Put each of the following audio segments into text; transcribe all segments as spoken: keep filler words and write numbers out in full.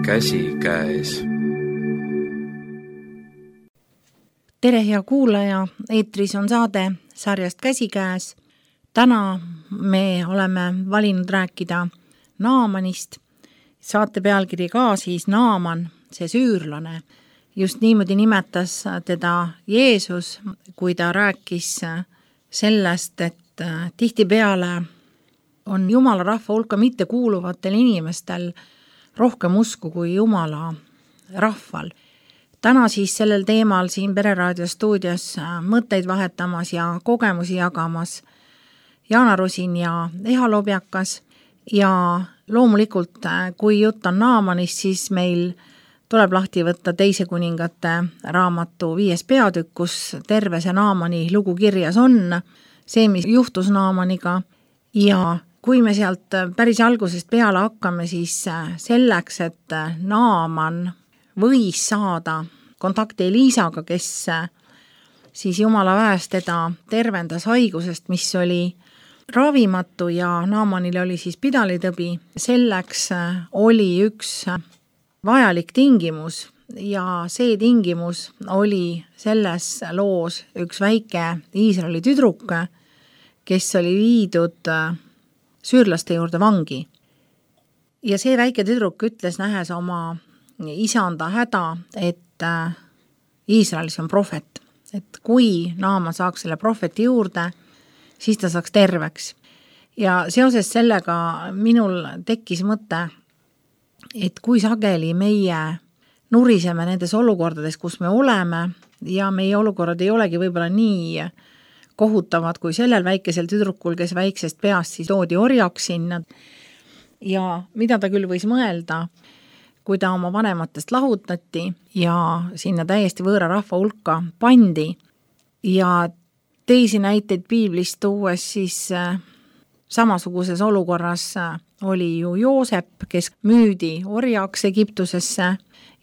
käsikäes. Tere, hea kuulaja, eetris on saade sarjast Käsikäes. Täna me oleme valinud rääkida Naamanist. Saate pealkiri ka siis Naaman, see süürlane. Just niimoodi nimetas teda Jeesus, kui ta rääkis sellest, et tihtipeale on Jumala rahva hulka mitte kuuluvatel inimestel rohkem usku kui Jumala rahval. Täna siis sellel teemal siin Pereraadio stuudios mõtteid vahetamas ja kogemusi jagamas Jaana Rusin ja Eha Lobjakas. Ja loomulikult, kui jutt on Naamanist, siis meil tuleb lahti võtta Teise kuningate raamatu viies peatükk, kus terve see Naamani lugu kirjas on, see, mis juhtus Naamaniga. Ja kui me sealt päris algusest peale hakkame, siis selleks, et Naaman võis saada kontakti Eliisaga, kes siis Jumala väest teda tervendas haigusest, mis oli ravimatu ja Naamanil oli siis pidalitõbi. Selleks oli üks vajalik tingimus ja see tingimus oli selles loos üks väike Iisraeli tüdruk, kes oli viidud süürlaste juurde vangi. Ja see väike tüdruk ütles, nähes oma isanda häda, et Iisraelis on prohvet, et kui Naaman saaks selle prohveti juurde, siis ta saaks terveks. Ja seoses sellega minul tekkis mõte, et kui sageli meie nuriseme nendes olukordades, kus me oleme, ja meie olukorrad ei olegi võib-olla nii kohutavad kui sellel väikesel tüdrukul, kes väiksest peast siis toodi orjaks sinna. Ja mida ta küll võis mõelda, kui ta oma vanematest lahutati ja sinna täiesti võõra rahva hulka pandi. Ja teisi näiteid piiblist tuues siis samasuguses olukorras oli ju Joosep, kes müüdi orjaks Egiptusesse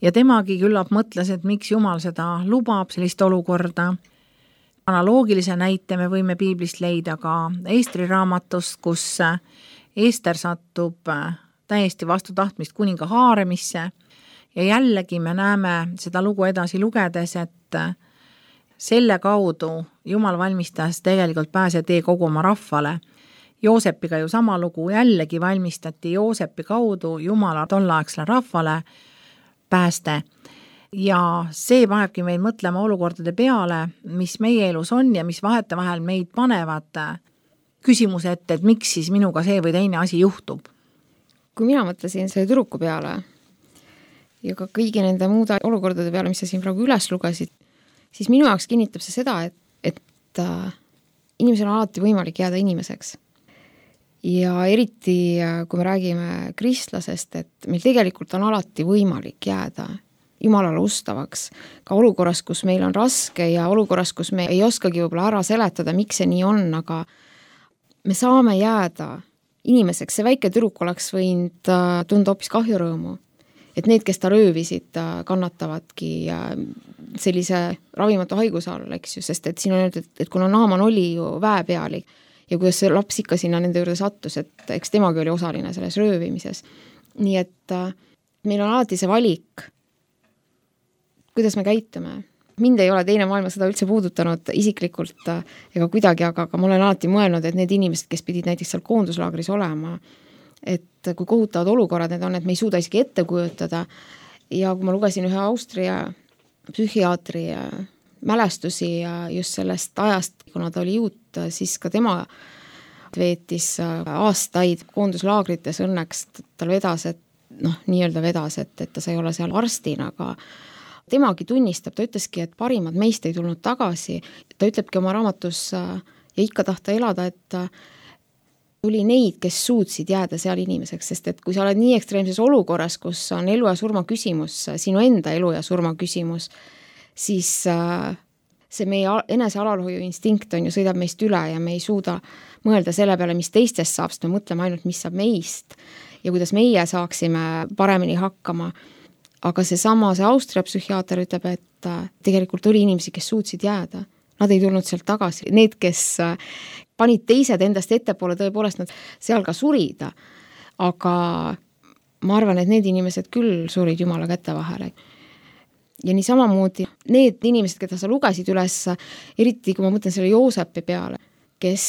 ja temagi küllap mõtles, et miks Jumal seda lubab, sellist olukorda. Analoogilise näite me võime piiblist leida ka Estri raamatust, kus Ester satub täiesti vastu tahtmist kuninga haaremisse ja jällegi me näeme seda lugu edasi lugedes, et selle kaudu Jumal valmistas tegelikult pääsetee kogu oma rahvale. Joosepiga ju sama lugu, jällegi valmistati Joosepi kaudu Jumala tolleaegsele rahvale pääste. Ja see panebki meid mõtlema olukordade peale, mis meie elus on ja mis vahetevahel meid panevad küsimuse ette, et miks siis minuga see või teine asi juhtub. Kui mina mõtlesin selle tüdruku peale ja ka kõigi nende muude olukordade peale, mis sa siin praegu üles lugesid, siis minu jaoks kinnitab see seda, et, et inimesel on alati võimalik jääda inimeseks. Ja eriti, kui me räägime kristlasest, et meil tegelikult on alati võimalik jääda Jumalale ustavaks, ka olukorras, kus meil on raske ja olukorras, kus me ei oskagi võib-olla ära seletada, miks see nii on, aga me saame jääda inimeseks. See väike tüdruk oleks võinud tunda hoopis kahjurõõmu, et need, kes ta röövisid, kannatavadki sellise ravimatu haiguse all, eks ju, sest et siin on öeldud, et, et kuna Naaman oli ju väepealik ja kuidas see laps ikka sinna nende juurde sattus, et eks temagi oli osaline selles röövimises. Nii et meil on alati see valik, kuidas me käitume. Mind ei ole teine maailmasõda üldse puudutanud isiklikult ega kuidagi, aga, aga ma olen alati mõelnud, et need inimesed, kes pidid näiteks seal koonduslaagris olema, et kui kohutavad olukorrad need on, et me ei suuda isegi ette kujutada. Ja kui ma lugesin ühe Austria psühhiaatri mälestusi just sellest ajast, kuna ta oli juut, siis ka tema veetis aastaid koonduslaagrites, õnneks tal vedas, et noh, nii-öelda vedas, et, et ta sai olla seal arstina, aga temagi tunnistab, ta ütleski, et parimad meist ei tulnud tagasi. Ta ütlebki oma raamatus ja ikka tahta elada, et tuli neid, kes suutsid jääda seal inimeseks, sest et kui sa oled nii ekstreemses olukorras, kus on elu ja surma küsimus, sinu enda elu ja surma küsimus, siis see meie enese alalhoiu instinkt on ju sõidab meist üle ja me ei suuda mõelda selle peale, mis teistest saab, sest me mõtleme ainult, mis saab meist ja kuidas meie saaksime paremini hakkama. Aga see sama, see Austria psühhiaater ütleb, et tegelikult oli inimesi, kes suutsid jääda. Nad ei tulnud sealt tagasi. Need, kes panid teised endast ettepoole, tõepoolest nad seal ka surida. Aga ma arvan, et need inimesed küll surid Jumala käte vahele. Ja nii samamoodi need inimesed, keda sa lugesid üles, eriti kui ma mõtlen selle Joosepi peale, kes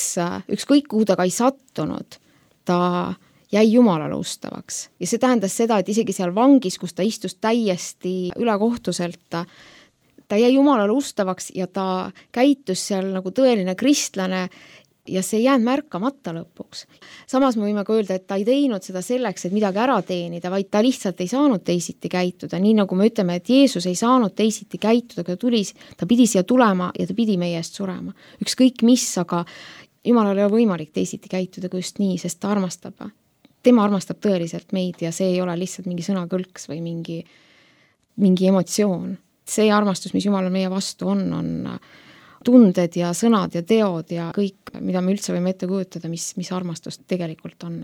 ükskõik kuhu ta ka ei sattunud, ta jäi Jumalale ustavaks. Ja see tähendas seda, et isegi seal vangis, kus ta istus täiesti ülekohtuselt, ta, ta jäi Jumalale ustavaks ja ta käitus seal nagu tõeline kristlane ja see ei jäänud märkamata lõpuks. Samas me võime ka öelda, et ta ei teinud seda selleks, et midagi ära teenida, vaid ta lihtsalt ei saanud teisiti käituda. Nii nagu me ütleme, et Jeesus ei saanud teisiti käituda, kui ta tuli, ta pidi siia tulema ja ta pidi meie eest surema. Ükskõik mis, aga Jumalal ei ole võimalik teisiti käituda kui just nii, sest ta armastab. Tema armastab tõeliselt meid ja see ei ole lihtsalt mingi sõnakõlks või mingi, mingi emotsioon. See armastus, mis Jumalal meie vastu on, on tunded ja sõnad ja teod ja kõik, mida me üldse võime ette kujutada, mis, mis armastust tegelikult on.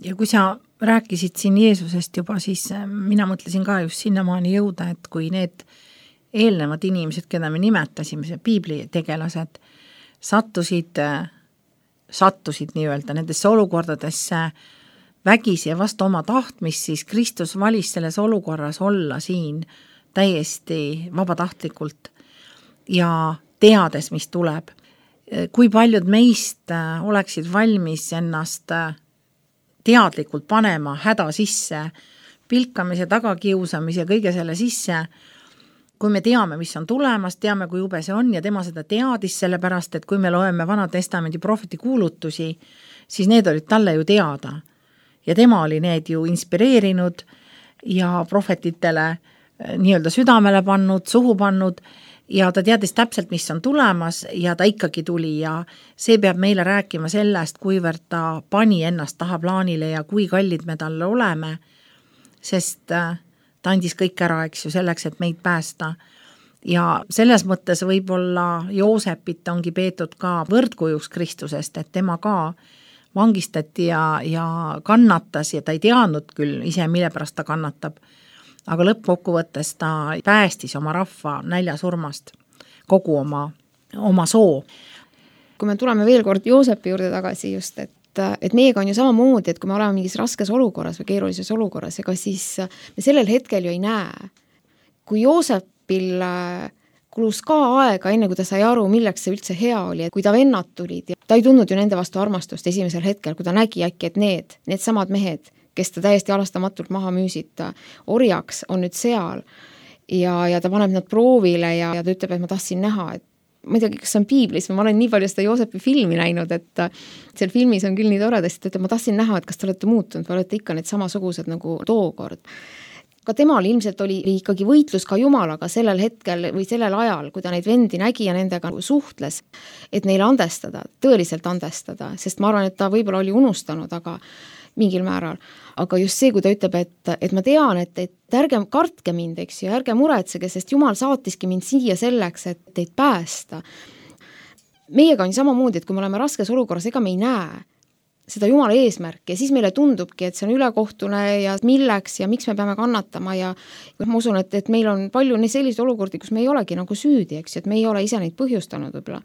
Ja kui sa rääkisid siin Jeesusest juba, siis mina mõtlesin ka just sinnamaani jõuda, et kui need eelnevad inimesed, keda me nimetasime, see piibli tegelased, sattusid, sattusid nii-öelda nendesse olukordadesse vägisi ja vastu oma tahtmist, siis Kristus valis selles olukorras olla siin täiesti vabatahtlikult ja teades, mis tuleb. Kui paljud meist oleksid valmis ennast teadlikult panema häda sisse, pilkamise, tagakiusamise, kõige selle sisse, kui me teame, mis on tulemas, teame, kui jube see on ja tema seda teadis, sellepärast, et kui me loeme Vana Testamendi prohveti kuulutusi, siis need olid talle ju teada. Ja tema oli need ju inspireerinud ja prohvetitele nii-öelda südamele pannud, suhu pannud ja ta teadis täpselt, mis on tulemas ja ta ikkagi tuli ja see peab meile rääkima sellest, kuivõrd ta pani ennast taha plaanile ja kui kallid me talle oleme, sest ta andis kõik ära, eks ju, selleks, et meid päästa. Ja selles mõttes võib-olla Joosepit ongi peetud ka võrdkujuks Kristusest, et tema ka vangistati ja, ja kannatas ja ta ei teadnud küll ise, mille pärast ta kannatab. Aga lõppkokkuvõttes ta päästis oma rahva näljasurmast, kogu oma, oma soo. Kui me tuleme veel kord Joosepi juurde tagasi just, et, et meiega on ju samamoodi, et kui me oleme mingis raskes olukorras või keerulises olukorras, ega siis me sellel hetkel ju ei näe. Kui Joosepil kulus ka aega, enne kui ta sai aru, milleks see üldse hea oli, et kui ta vennad tulid, ja ta ei tundnud ju nende vastu armastust esimesel hetkel, kui ta nägi äkki, et need, need samad mehed, kes ta täiesti alastamatult maha müüsid orjaks, on nüüd seal ja, ja ta paneb nad proovile ja, ja ta ütleb, et ma tahtsin näha, et ma ei tea, kas on piiblis, ma olen nii palju seda Joosepi filmi näinud, et seal filmis on küll nii toredasti, et ütleb, ma tahtsin näha, et kas te olete muutunud või olete ikka need samasugused nagu tookord. Ka temal ilmselt oli ikkagi võitlus ka Jumalaga sellel hetkel või sellel ajal, kui ta neid vendi nägi ja nendega suhtles, et neile andestada, tõeliselt andestada, sest ma arvan, et ta võib-olla oli unustanud, aga mingil määral. Aga just see, kui ta ütleb, et, et ma tean, et, et ärge kartke mind, eks ju, ärge muretsege, sest Jumal saatiski mind siia selleks, et teid päästa. Meiega on samamoodi, et kui me oleme raskes olukorras, ega me ei näe seda Jumala eesmärki ja siis meile tundubki, et see on ülekohtune ja milleks ja miks me peame kannatama ja ma usun, et, et meil on palju selliseid olukordi, kus me ei olegi nagu süüdi, eks ju, et me ei ole ise neid põhjustanud võib-olla.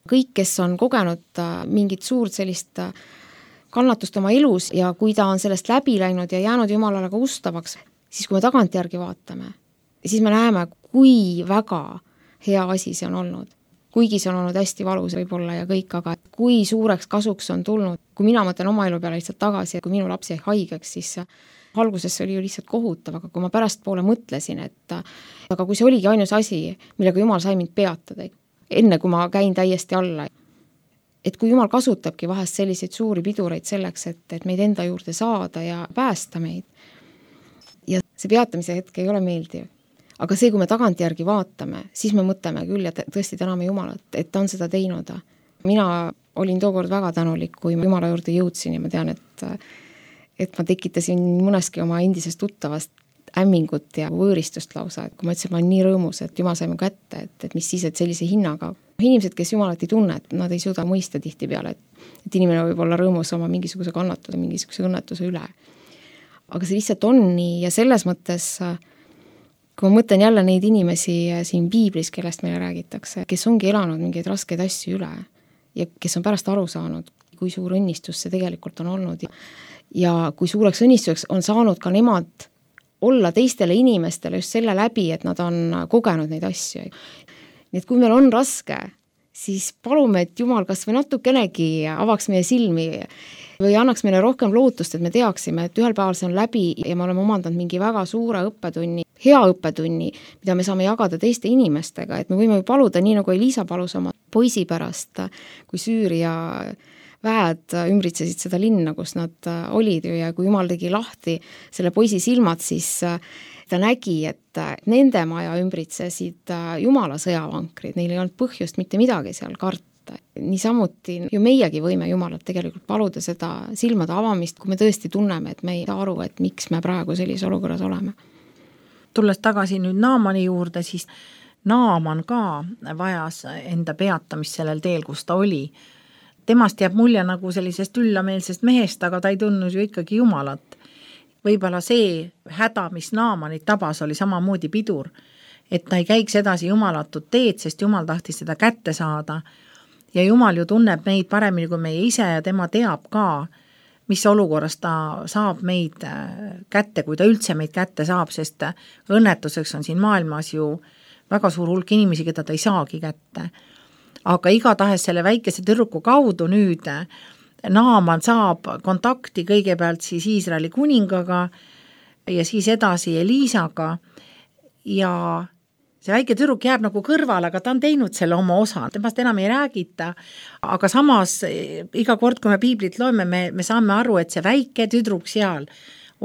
Kõik, kes on kogenud mingit suurt sellist kannatust oma elus ja kui ta on sellest läbi läinud ja jäänud Jumalale ka ustavaks, siis kui me tagantjärgi vaatame, siis me näeme, kui väga hea asi see on olnud. Kuigi see on olnud hästi valus võib-olla ja kõik, aga kui suureks kasuks on tulnud. Kui mina mõtlen oma elu peale lihtsalt tagasi, kui minu laps jäi haigeks, siis alguses see oli ju lihtsalt kohutav, aga kui ma pärast poole mõtlesin, et aga kui see oligi ainus asi, millega Jumal sai mind peatada, enne kui ma käin täiesti alla, et kui Jumal kasutabki vahest selliseid suuri pidureid selleks, et, et meid enda juurde saada ja päästa meid. Ja see peatamise hetk ei ole meeldiv. Aga see, kui me tagantjärgi vaatame, siis me mõtleme küll ja tõesti täname Jumalat, et ta on seda teinud. Mina olin tookord väga tänulik, kui Jumala juurde jõudsin ja ma tean, et, et ma tekitasin mõneski oma endisest tuttavast ämmingut ja võõristust lausa, et kui ma ütlesin, ma olen nii rõõmus, et Jumal sai mu kätte, et, et mis siis, et sellise hinnaga. Inimesed, kes Jumalat ei tunne, et nad ei suuda mõista tihti peale, et, et inimene võib olla rõõmus oma mingisuguse kannatuse, mingisuguse õnnetuse üle. Aga see lihtsalt on nii ja selles mõttes, kui ma mõtlen jälle neid inimesi siin piiblis, kellest meile räägitakse, kes ongi elanud mingeid raskeid asju üle ja kes on pärast aru saanud, kui suur õnnistus see tegelikult on olnud ja, ja kui suureks õnnistuseks on saanud ka nemad olla teistele inimestele just selle läbi, et nad on kogenud neid asju. Nii et kui meil on raske, siis palume, et Jumal kas või natukenegi avaks meie silmi või annaks meile rohkem lootust, et me teaksime, et ühel päeval see on läbi ja me oleme omandanud mingi väga suure õppetunni, hea õppetunni, mida me saame jagada teiste inimestega, et me võime ju paluda, nii nagu Elisa palus oma poisi pärast, kui Süüria väed ümbritsesid seda linna, kus nad olid ju ja kui Jumal tegi lahti selle poisi silmad, siis ta nägi, et nende maja ümbritsesid Jumala sõjavankrid, neil ei olnud põhjust mitte midagi seal karta. Niisamuti ju meiegi võime Jumalat tegelikult paluda seda silmade avamist, kui me tõesti tunneme, et me ei saa aru, et miks me praegu sellises olukorras oleme. Tulles tagasi nüüd Naamani juurde, siis Naaman ka vajas enda peatamist sellel teel, kus ta oli. Temast jääb mulje nagu sellisest üllameelsest mehest, aga ta ei tundnud ju ikkagi Jumalat. Võib-olla see häda, mis Naamanit tabas, oli samamoodi pidur, et ta ei käiks edasi jumalatut teed, sest Jumal tahtis seda kätte saada. Ja Jumal ju tunneb meid paremini kui meie ise ja tema teab ka, mis olukorras ta saab meid kätte, kui ta üldse meid kätte saab, sest õnnetuseks on siin maailmas ju väga suur hulk inimesi, keda ta ei saagi kätte. Aga igatahes selle väikese tüdruku kaudu nüüd Naaman saab kontakti kõigepealt siis Iisraeli kuningaga ja siis edasi Eliisaga ja see väike tüdruk jääb nagu kõrval, aga ta on teinud selle oma osa, temast enam ei räägita, aga samas iga kord, kui me piiblit loeme, me, me saame aru, et see väike tüdruk seal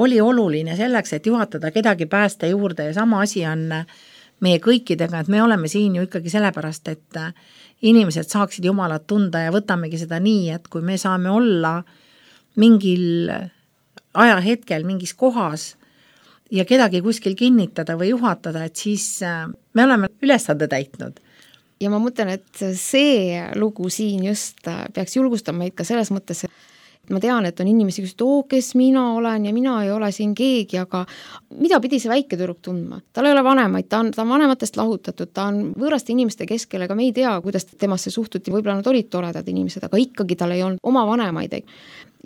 oli oluline selleks, et juhatada kedagi pääste juurde ja sama asi on meie kõikidega, et me oleme siin ju ikkagi sellepärast, et inimesed saaksid Jumalat tunda ja võtamegi seda nii, et kui me saame olla mingil ajahetkel, mingis kohas ja kedagi kuskil kinnitada või juhatada, et siis me oleme ülesande täitnud. Ja ma mõtlen, et see lugu siin just peaks julgustama meid ka selles mõttes, et ma tean, et on inimesi, kes oo, kes mina olen ja mina ei ole siin keegi, aga mida pidi see väike tüdruk tundma? Tal ei ole vanemaid, ta on, ta on vanematest lahutatud, ta on võõraste inimeste keskel, aga me ei tea, kuidas temasse suhtuti, võib-olla nad olid toredad inimesed, aga ikkagi tal ei olnud oma vanemaid.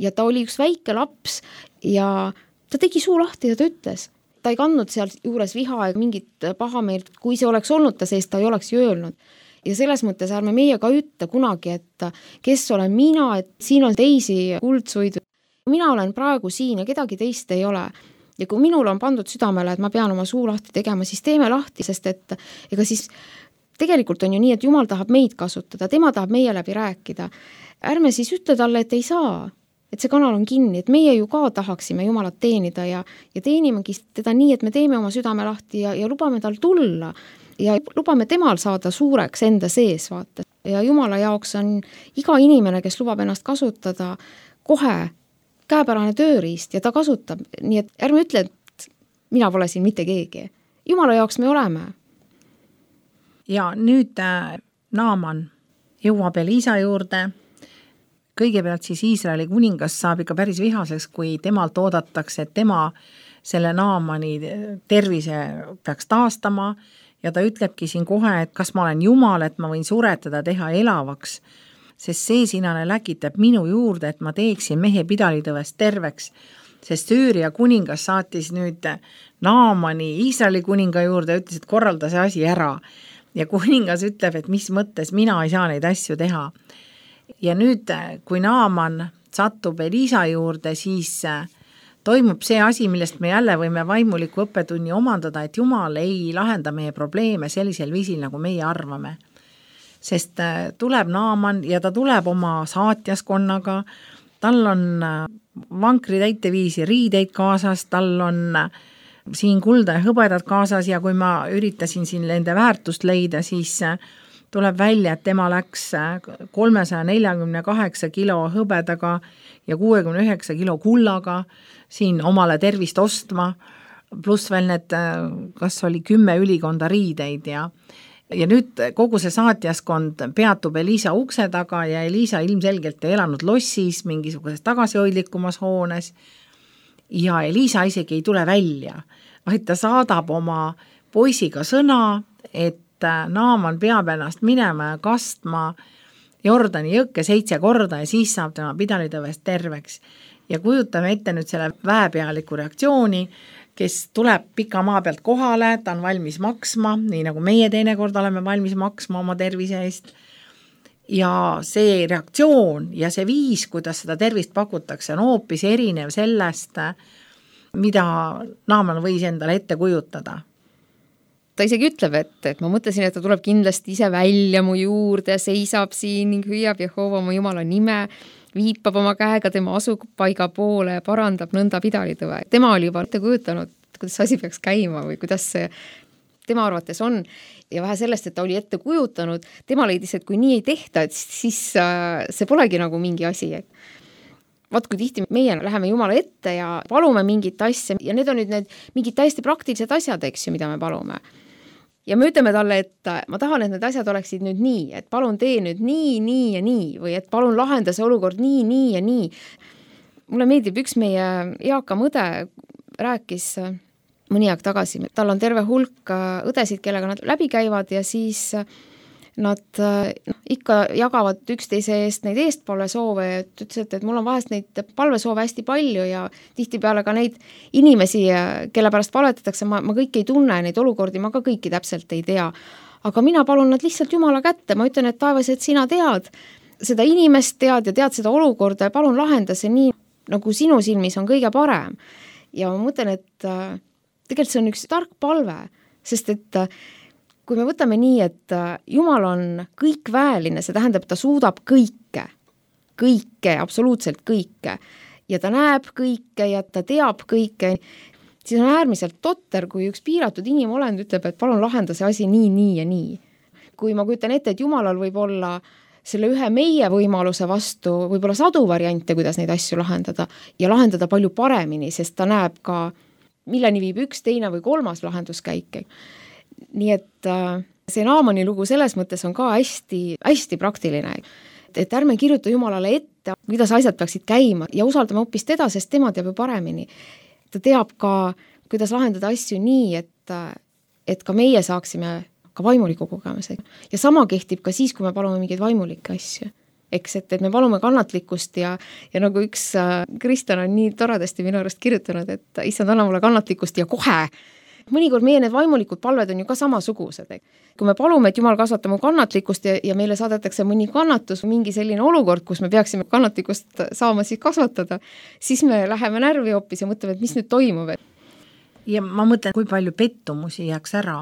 Ja ta oli üks väike laps ja ta tegi suu lahti ja ta ütles. Ta ei kandnud seal juures viha ja mingit pahameelt, kui see oleks olnud ta sees, ta ei oleks ju öelnud. Ja selles mõttes ärme meie ka ütle kunagi, et kes olen mina, et siin on teisi kuldsuid. Mina olen praegu siin ja kedagi teist ei ole. Ja kui minul on pandud südamele, et ma pean oma suu lahti tegema, siis teeme lahti, sest et ega siis tegelikult on ju nii, et Jumal tahab meid kasutada, tema tahab meie läbi rääkida. Ärme siis ütle talle, et ei saa, et see kanal on kinni, et meie ju ka tahaksime Jumalat teenida ja, ja teenimegi teda nii, et me teeme oma südame lahti ja, ja lubame tal tulla ja lubame temal saada suureks enda sees, vaata. Ja Jumala jaoks on iga inimene, kes lubab ennast kasutada, kohe käepärane tööriist ja ta kasutab. Nii et ärme ütle, et mina pole siin mitte keegi. Jumala jaoks me oleme. Ja nüüd äh, Naaman jõuab Elisa juurde. Kõigepealt siis Iisraeli kuningas saab ikka päris vihaseks, kui temalt oodatakse, et tema selle Naamani tervise peaks taastama ja ta ütlebki siin kohe, et kas ma olen Jumal, et ma võin suretada teha elavaks, sest see sinane läkitab minu juurde, et ma teeksin mehe pidalitõvest terveks, sest Süüria kuningas saatis nüüd Naamani Iisraeli kuninga juurde ja ütles, et korralda see asi ära ja kuningas ütleb, et mis mõttes mina ei saa neid asju teha. Ja nüüd, kui Naaman satub Elisa juurde, siis toimub see asi, millest me jälle võime vaimuliku õppetunni omandada, et Jumal ei lahenda meie probleeme sellisel viisil, nagu meie arvame. Sest tuleb Naaman ja ta tuleb oma saatjaskonnaga, tal on vankri täiteviisi riideid kaasas, tal on siin kulda ja hõbedad kaasas ja kui ma üritasin siin nende väärtust leida, siis tuleb välja, et tema läks kolmesaja neljakümne kaheksa kilo hõbedaga ja kuuekümne üheksa kilo kullaga siin omale tervist ostma, pluss veel need, kas oli kümme ülikonda riideid ja, ja nüüd kogu see saatjaskond peatub Elisa ukse taga ja Elisa ilmselgelt ei elanud lossis, mingisuguses tagasihoidlikumas hoones ja Elisa isegi ei tule välja, vaid ta saadab oma poisiga sõna, et Naaman peab ennast minema ja kastma Jordani jõkke seitse korda ja siis saab tema pidalitõvest terveks. Ja kujutame ette nüüd selle väepealiku reaktsiooni, kes tuleb pika maa pealt kohale, ta on valmis maksma, nii nagu meie teinekord oleme valmis maksma oma tervise eest. Ja see reaktsioon ja see viis, kuidas seda tervist pakutakse, on hoopis erinev sellest, mida Naaman võis endale ette kujutada. Ta isegi ütleb, et, et ma mõtlesin, et ta tuleb kindlasti ise välja mu juurde, seisab siin ning hüüab Jehova mu Jumala nime, viipab oma käega tema asupaiga poole ja parandab nõnda pidalitõve. Tema oli juba ette kujutanud, kuidas asi peaks käima või kuidas see tema arvates on. Ja vähe sellest, et ta oli ette kujutanud, tema leidis, et kui nii ei tehta, et siis see polegi nagu mingi asi. Vaat kui tihti meie läheme Jumala ette ja palume mingit asja ja need on nüüd need mingid täiesti praktilised asjad, eks ju, mida me palume. Ja me ütleme talle, et ma tahan, et need asjad oleksid nüüd nii, et palun tee nüüd nii, nii ja nii või et palun lahenda see olukord nii, nii ja nii. Mulle meeldib üks meie eakam õde rääkis mõni aeg tagasi. Tal on terve hulk õdesid, kellega nad läbi käivad ja siis nad no, ikka jagavad üksteise eest neid eestpalvesoove ja ütles, et, et mul on vahest neid palvesoove hästi palju ja tihtipeale ka neid inimesi, kelle pärast palvetatakse, ma, ma kõiki ei tunne, neid olukordi ma ka kõiki täpselt ei tea. Aga mina palun nad lihtsalt Jumala kätte, ma ütlen, et taevas, et sina tead seda inimest, tead ja tead seda olukorda ja palun lahenda see nii, nagu sinu silmis on kõige parem. Ja ma mõtlen, et tegelikult see on üks tark palve, sest et kui me võtame nii, et Jumal on kõikväeline, see tähendab, et ta suudab kõike, kõike, absoluutselt kõike ja ta näeb kõike ja ta teab kõike, siis on äärmiselt totter, kui üks piiratud inimolend ütleb, et palun lahenda see asi nii, nii ja nii. Kui ma kujutan ette, et Jumalal võib olla selle ühe meie võimaluse vastu võib-olla sadu variante, kuidas neid asju lahendada ja lahendada palju paremini, sest ta näeb ka, milleni viib üks, teine või kolmas lahenduskäik. Nii et see Naamani lugu selles mõttes on ka hästi, hästi praktiline, et ärme kirjuta Jumalale ette, kuidas asjad peaksid käima ja usaldame hoopis teda, sest tema teab ju paremini. Ta teab ka, kuidas lahendada asju nii, et, et ka meie saaksime ka vaimuliku kogemuse. Ja sama kehtib ka siis, kui me palume mingeid vaimulikke asju. Eks, et, et me palume kannatlikkust ja, ja nagu üks Kristjan on nii toredasti minu arust kirjutanud, et issand, anna mulle kannatlikkust ja kohe. Mõnikord meie need vaimulikud palved on ju ka samasugused. Kui me palume, et Jumal kasvata mu kannatlikkust ja, ja meile saadetakse mõni kannatus, mingi selline olukord, kus me peaksime kannatlikkust saama siis kasvatada, siis me läheme närvi hoopis ja mõtleme, et mis nüüd toimub. Ja ma mõtlen, kui palju pettumusi jääks ära,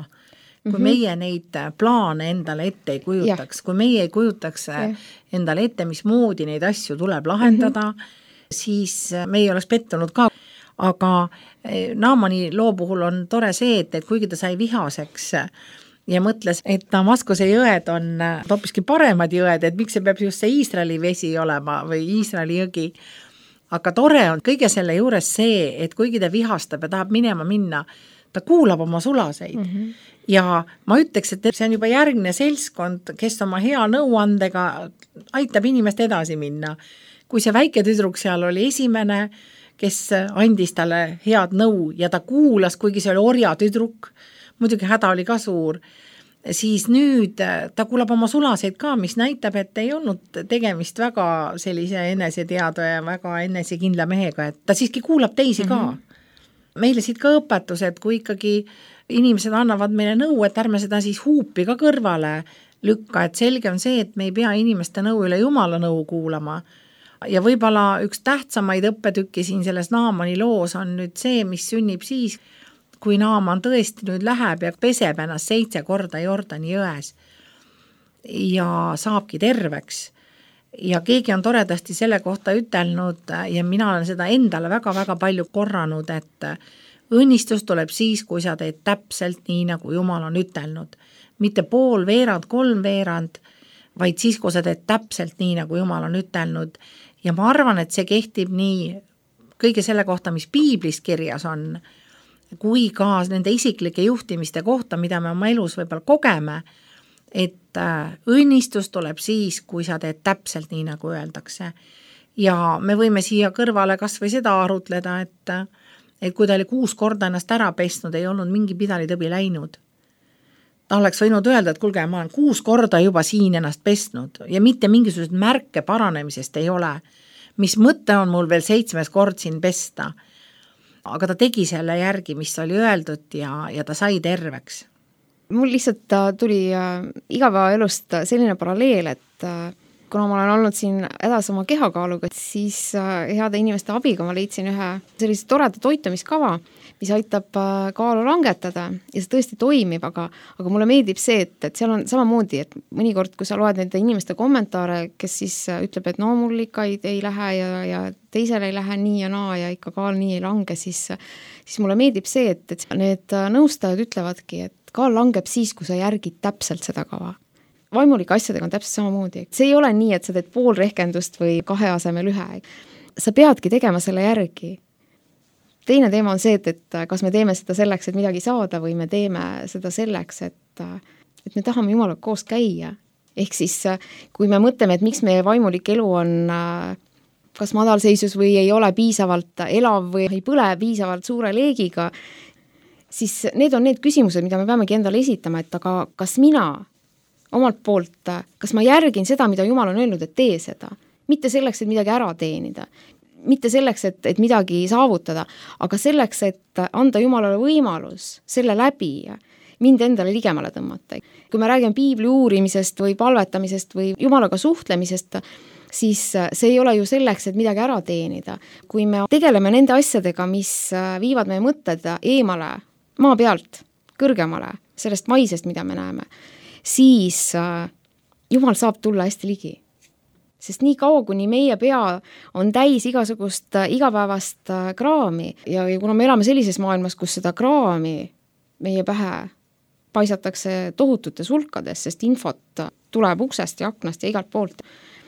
kui mm-hmm. meie neid plaane endale ette ei kujutaks, ja. Kui meie ei kujutaks ja. Endale ette, mis moodi neid asju tuleb lahendada, mm-hmm. siis me ei oleks pettunud ka. Aga Naamani loo puhul on tore see, et, et kuigi ta sai vihaseks ja mõtles, et Damaskuse jõed on hoopiski paremad jõed, et miks see peab just see Iisraeli vesi olema või Iisraeli jõgi. Aga tore on kõige selle juures see, et kuigi ta vihastab ja tahab minema minna, ta kuulab oma sulaseid. Mm-hmm. Ja ma ütleks, et see on juba järgne seltskond, kes oma hea nõuandega aitab inimest edasi minna. Kui see väike tüdruk seal oli esimene, kes andis talle head nõu ja ta kuulas, kuigi see oli orja tüdruk, muidugi häda oli ka suur, siis nüüd ta kuulab oma sulaseid ka, mis näitab, et ei olnud tegemist väga sellise eneseteadva ja väga enesekindla mehega, et ta siiski kuulab teisi ka. Mm-hmm. Meile siit ka õpetus, et kui ikkagi inimesed annavad meile nõu, et ärme seda siis huupi ka kõrvale lükka, et selge on see, et me ei pea inimeste nõu üle Jumala nõu kuulama. Ja võib-olla üks tähtsamaid õppetükki siin selles Naamani loos on nüüd see, mis sünnib siis, kui Naaman tõesti nüüd läheb ja peseb ennast seitse korda Jordani jões ja saabki terveks. Ja keegi on toredasti selle kohta ütelnud ja mina olen seda endale väga-väga palju korranud, et õnnistus tuleb siis, kui sa teed täpselt nii, nagu Jumal on ütelnud. Mitte pool veerand, kolm veerand, vaid siis, kui sa teed täpselt nii, nagu Jumal on ütelnud. Ja ma arvan, et see kehtib nii kõige selle kohta, mis piiblis kirjas on, kui ka nende isiklike juhtimiste kohta, mida me oma elus võib-olla kogeme, et õnnistus tuleb siis, kui sa teed täpselt nii, nagu öeldakse. Ja me võime siia kõrvale kas või seda arutleda, et, et kui ta oli kuus korda ennast ära pesnud, ei olnud mingi pidalitõbi läinud. ta oleks võinud öelda, et kuulge, ma olen kuus korda juba siin ennast pestnud ja mitte mingisugused märke paranemisest ei ole. Mis mõte on mul veel seitsmes kord siin pesta? Aga ta tegi selle järgi, mis oli öeldud ja, ja ta sai terveks. Mul lihtsalt tuli igapäevaelust selline paralleel, et kuna ma olen olnud siin edas oma kehakaaluga, siis heade inimeste abiga ma leidsin ühe sellise toreda toitumiskava, mis aitab kaalu langetada ja see tõesti toimib, aga, aga mulle meeldib see, et, et seal on samamoodi, et mõnikord, kui sa loed nende inimeste kommentaare, kes siis ütleb, et no mul ikka ei, ei lähe ja, ja teisel ei lähe nii ja naa ja ikka kaal nii ei lange, siis, siis mulle meeldib see, et, et need nõustajad ütlevadki, et kaal langeb siis, kui sa järgid täpselt seda kava. Vaimulike asjadega on täpselt samamoodi. See ei ole nii, et sa teed pool rehkendust või kahe asemel ühe. Sa peadki tegema selle järgi. Teine teema on see, et, et kas me teeme seda selleks, et midagi saada või me teeme seda selleks, et, et me tahame Jumalaga koos käia. Ehk siis, kui me mõtleme, et miks meie vaimulik elu on kas madalseisus või ei ole piisavalt elav või ei põle piisavalt suure leegiga, siis need on need küsimused, mida me peamegi endale esitama, et aga kas mina omalt poolt, kas ma järgin seda, mida Jumal on öelnud, et tee seda. Mitte selleks, et midagi ära teenida. Mitte selleks, et, et midagi saavutada, aga selleks, et anda Jumalale võimalus selle läbi mind endale ligemale tõmmata. Kui me räägime piibli uurimisest või palvetamisest või Jumalaga suhtlemisest, siis see ei ole ju selleks, et midagi ära teenida. Kui me tegeleme nende asjadega, mis viivad meie mõtted eemale, maa pealt, kõrgemale, sellest maisest, mida me näeme, siis Jumal saab tulla hästi ligi. Sest nii kaua, kuni meie pea on täis igasugust igapäevast kraami ja, ja kuna me elame sellises maailmas, kus seda kraami meie pähe paisatakse tohututes hulkades, sest infot tuleb uksest ja aknast ja igalt poolt.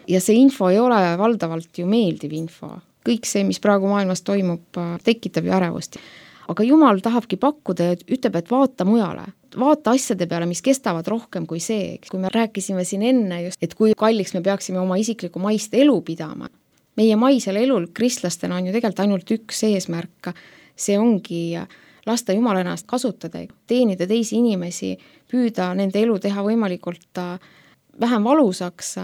Ja see info ei ole valdavalt ju meeldiv info. Kõik see, mis praegu maailmas toimub, tekitab ju ärevust. Aga Jumal tahabki pakkuda ja ütleb, et vaata mujale. Vaata asjade peale, mis kestavad rohkem kui see. Kui me rääkisime siin enne just, et kui kalliks me peaksime oma isikliku maist elu pidama. Meie maisel elul kristlastena on ju tegelikult ainult üks eesmärk. See ongi lasta Jumal ennast kasutada, teenida teisi inimesi, püüda nende elu teha võimalikult vähem valusaks.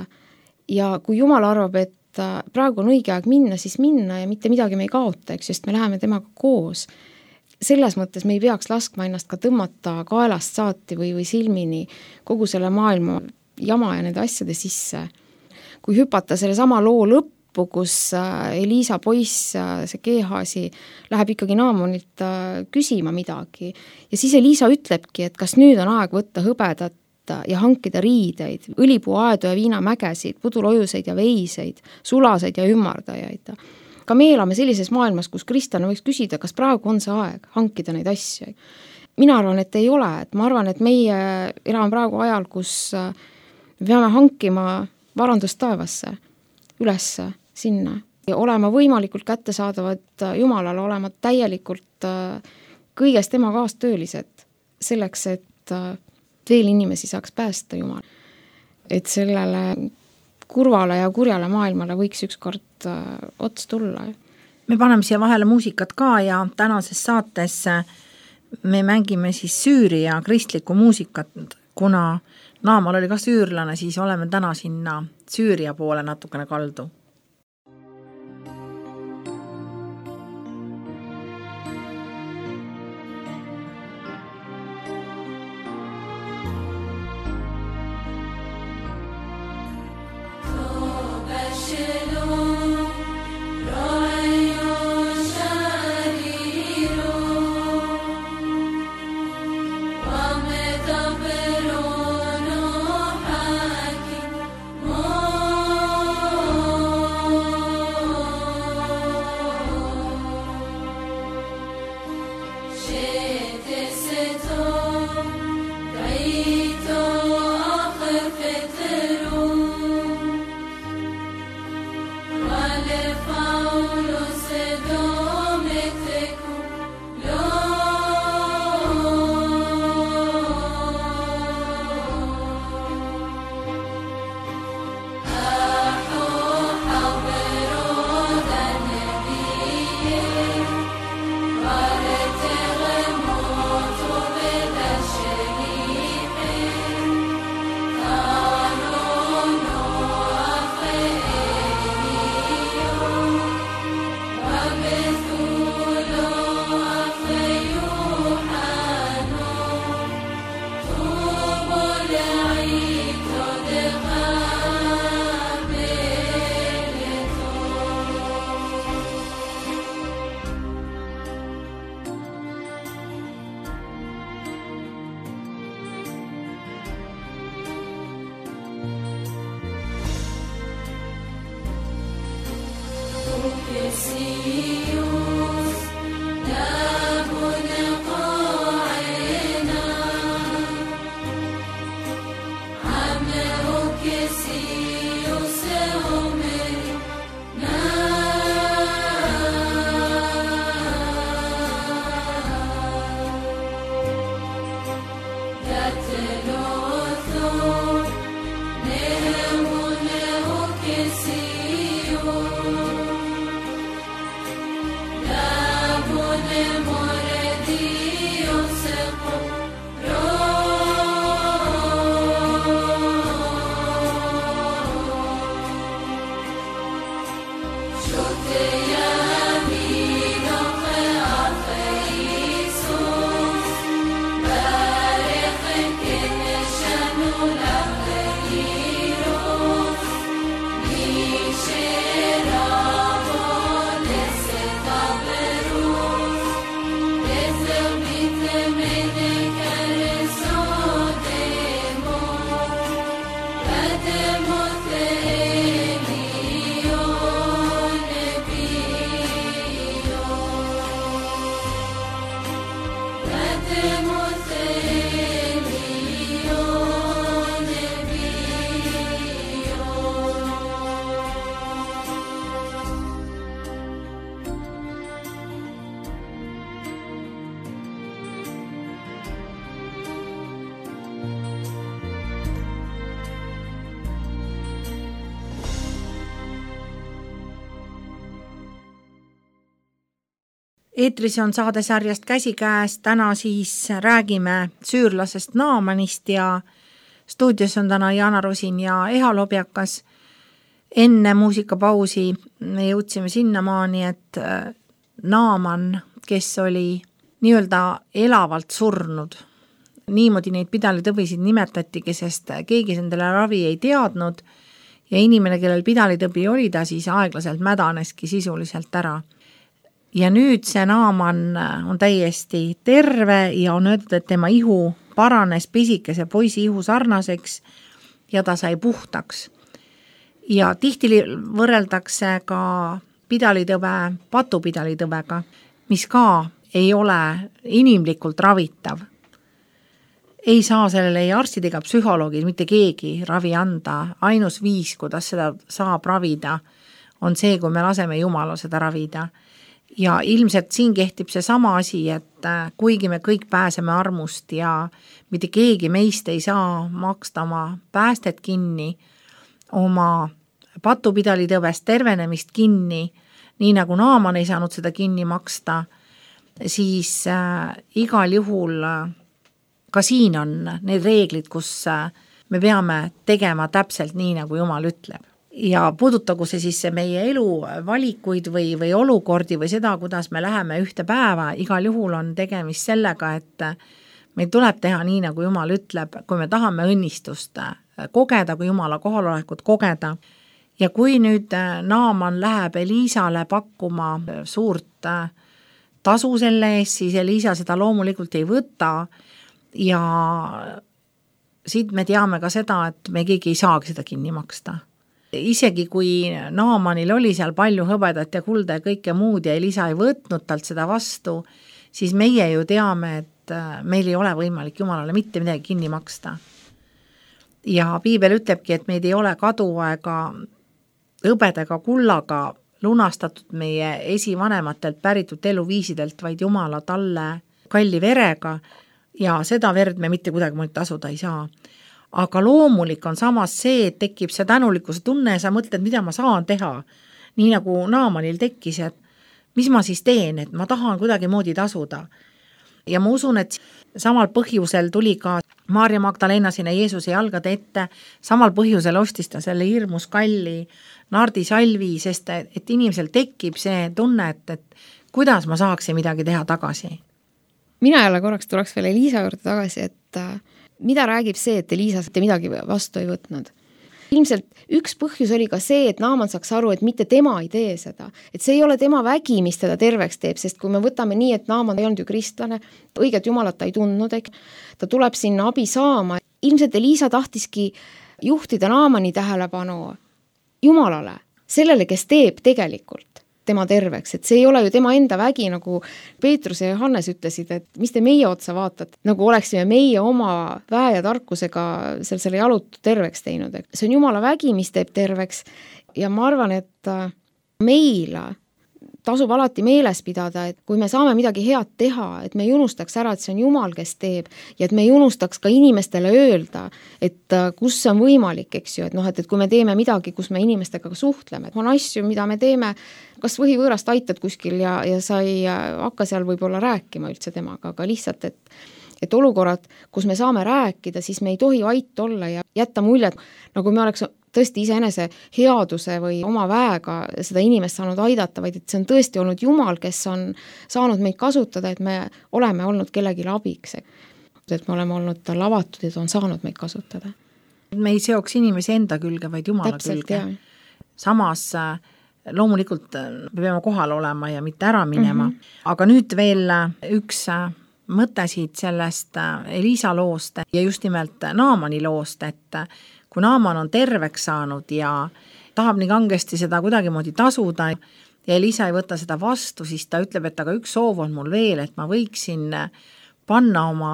Ja kui Jumal arvab, et praegu on õige aeg minna, siis minna ja mitte midagi me ei kaota, eks, sest me läheme temaga koos. Selles mõttes me ei peaks laskma ennast ka tõmmata kaelast saati või, või silmini kogu selle maailma jama ja nende asjade sisse. Kui hüpata selle sama loo lõppu, kus Eliisa poiss, see Gehazi, läheb ikkagi Naamonilt küsima midagi ja siis Eliisa ütlebki, et kas nüüd on aeg võtta hõbedat ja hankida riideid, õlipuuaedu ja viinamägesid, pudulojuseid ja veiseid, sulaseid ja ümmardajaid. Ka me elame sellises maailmas, kus kristlane võiks küsida, kas praegu on see aeg hankida neid asju. Mina arvan, et ei ole. Et ma arvan, et meie elame praegu ajal, kus me peame hankima varandust taevasse, üles sinna. Ja olema võimalikult kättesaadavad Jumalale, olema täielikult kõigest tema kaastöölised selleks, et veel inimesi saaks päästa Jumal. Et sellele kurvale ja kurjale maailmale võiks ükskord ots tulla. Me paneme siia vahele muusikat ka ja tänases saates me mängime siis Süüria kristlikku muusikat, kuna Naamal oli ka süürlane, siis oleme täna sinna Süüria poole natukene kaldu. Oh Eetris on saadesarjast Käsikäes, täna siis räägime süürlasest Naamanist ja stuudios on täna Jana Rosin ja Eha Lobjakas. Enne muusikapausi me jõudsime sinnamaani, et Naaman, kes oli nii-öelda elavalt surnud, niimoodi neid pidalitõbisid nimetatigi, sest keegi endale ravi ei teadnud ja inimene, kellel pidalitõbi oli, ta siis aeglaselt mädaneski sisuliselt ära. Ja nüüd see Naaman on täiesti terve ja on öeldud, et tema ihu paranes pisikese poisi ihu sarnaseks ja ta sai puhtaks. Ja tihti võrreldakse ka pidalitõve patupidalitõvega, mis ka ei ole inimlikult ravitav. Ei saa sellele ei arstid ega psühholoogid, mitte keegi ravi anda. Ainus viis, kuidas seda saab ravida, on see, kui me laseme Jumala seda ravida. Ja ilmselt siin kehtib see sama asi, et kuigi me kõik pääseme armust ja mitte keegi meist ei saa maksta oma päästet kinni, oma patupidalitõvest tervenemist kinni, nii nagu Naaman ei saanud seda kinni maksta, siis äh, igal juhul äh, ka siin on need reeglid, kus äh, me peame tegema täpselt nii, nagu Jumal ütleb. Ja puudutagu see siis meie elu valikuid või, või olukordi või seda, kuidas me läheme ühte päeva, igal juhul on tegemist sellega, et meil tuleb teha nii, nagu Jumal ütleb, kui me tahame õnnistust kogeda, kui Jumala kohalolekut kogeda. Ja kui nüüd Naaman läheb Eliisale pakkuma suurt tasu selle eest, siis Eliisa seda loomulikult ei võta ja siit me teame ka seda, et me keegi ei saagi seda kinni maksta. Isegi kui Naamanil oli seal palju hõbedat ja kulda ja kõike muud ja Elisa ei võtnud talt seda vastu, siis meie ju teame, et meil ei ole võimalik Jumalale mitte midagi kinni maksta. Ja piibel ütlebki, et meid ei ole kaduaega hõbedega kullaga lunastatud meie esivanematelt päritud eluviisidelt, vaid Jumala talle kalli verega ja seda verd me mitte kuidagi tasuda ei saa. Aga loomulik on samas see, et tekib see tänulikkuse tunne ja sa mõtled, mida ma saan teha. Nii nagu Naamanil tekkis, et mis ma siis teen, et ma tahan kuidagi moodi tasuda. Ja ma usun, et samal põhjusel tuli ka Maarja Magdalena sinna Jeesuse jalgade ette, samal põhjusel ostis ta selle hirmus kalli nardisalvi, sest et inimesel tekib see tunne, et, et kuidas ma saaksin midagi teha tagasi. Mina jälle korraks tuleks veel Eliisa juurde tagasi, et mida räägib see, et Eliisa midagi vastu ei võtnud? Ilmselt üks põhjus oli ka see, et Naaman saaks aru, et mitte tema ei tee seda. Et see ei ole tema vägi, mis teda terveks teeb, sest kui me võtame nii, et Naaman ei olnud ju kristlane, õiget Jumalat ta ei tundnud, ta tuleb sinna abi saama. Ilmselt Eliisa tahtiski juhtida Naamani tähelepanu Jumalale, sellele, kes teeb tegelikult tema terveks, et see ei ole ju tema enda vägi, nagu Peetrus ja Johannes ütlesid, et mis te meie otsa vaatate, nagu oleksime meie oma väe ja tarkusega selle, selle jalutu terveks teinud. See on Jumala vägi, mis teeb terveks ja ma arvan, et meil tasub alati meeles pidada, et kui me saame midagi head teha, et me ei unustaks ära, et see on Jumal, kes teeb ja et me ei unustaks ka inimestele öelda, et kus on võimalik, eks ju, et noh, et, et kui me teeme midagi, kus me inimestega suhtleme, et on asju, mida me teeme, kas võhivõõrast aitad kuskil ja, ja sa ei hakka seal võib-olla rääkima üldse temaga, aga lihtsalt, et et olukorrad, kus me saame rääkida, siis me ei tohi vait olla ja jätta muljet, nagu me oleks tõesti iseenese headuse või oma väega seda inimest saanud aidata, vaid et see on tõesti olnud Jumal, kes on saanud meid kasutada, et me oleme olnud kellelegi abiks. Et me oleme olnud tal avatud ja ta on saanud meid kasutada. Me ei seoks inimesi enda külge, vaid Jumala Täpselt, külge. Jah. Samas loomulikult me peame kohal olema ja mitte ära minema. Mm-hmm. Aga nüüd veel üks mõte siit sellest Elisa loost ja just nimelt Naamani loost, et kui Naaman on terveks saanud ja tahab nii kangesti seda kuidagimoodi tasuda ja Elisa ei võta seda vastu, siis ta ütleb, et aga üks soov on mul veel, et ma võiksin panna oma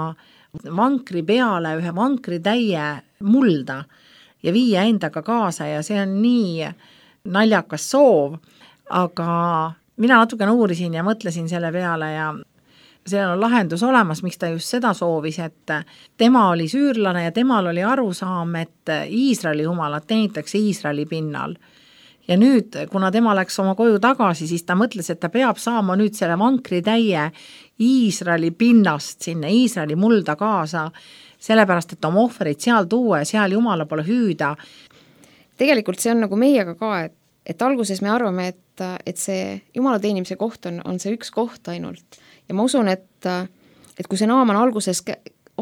vankri peale ühe vankri täie mulda ja viia endaga kaasa ja see on nii naljakas soov, aga mina natukene uurisin ja mõtlesin selle peale ja seal on lahendus olemas, miks ta just seda soovis, et tema oli süürlane ja temal oli arusaam, et Iisraeli jumalat teenitakse Iisraeli pinnal. Ja nüüd, kuna tema läks oma koju tagasi, siis ta mõtles, et ta peab saama nüüd selle vankri täie Iisraeli pinnast sinna, Iisraeli mulda kaasa, sellepärast, et oma ohverid seal tuua ja seal jumala pole hüüda. Tegelikult see on nagu meiega ka, et, et alguses me arvame, et, et see jumala teenimise koht on, on see üks koht ainult. Ja ma usun, et, et kui see Naaman alguses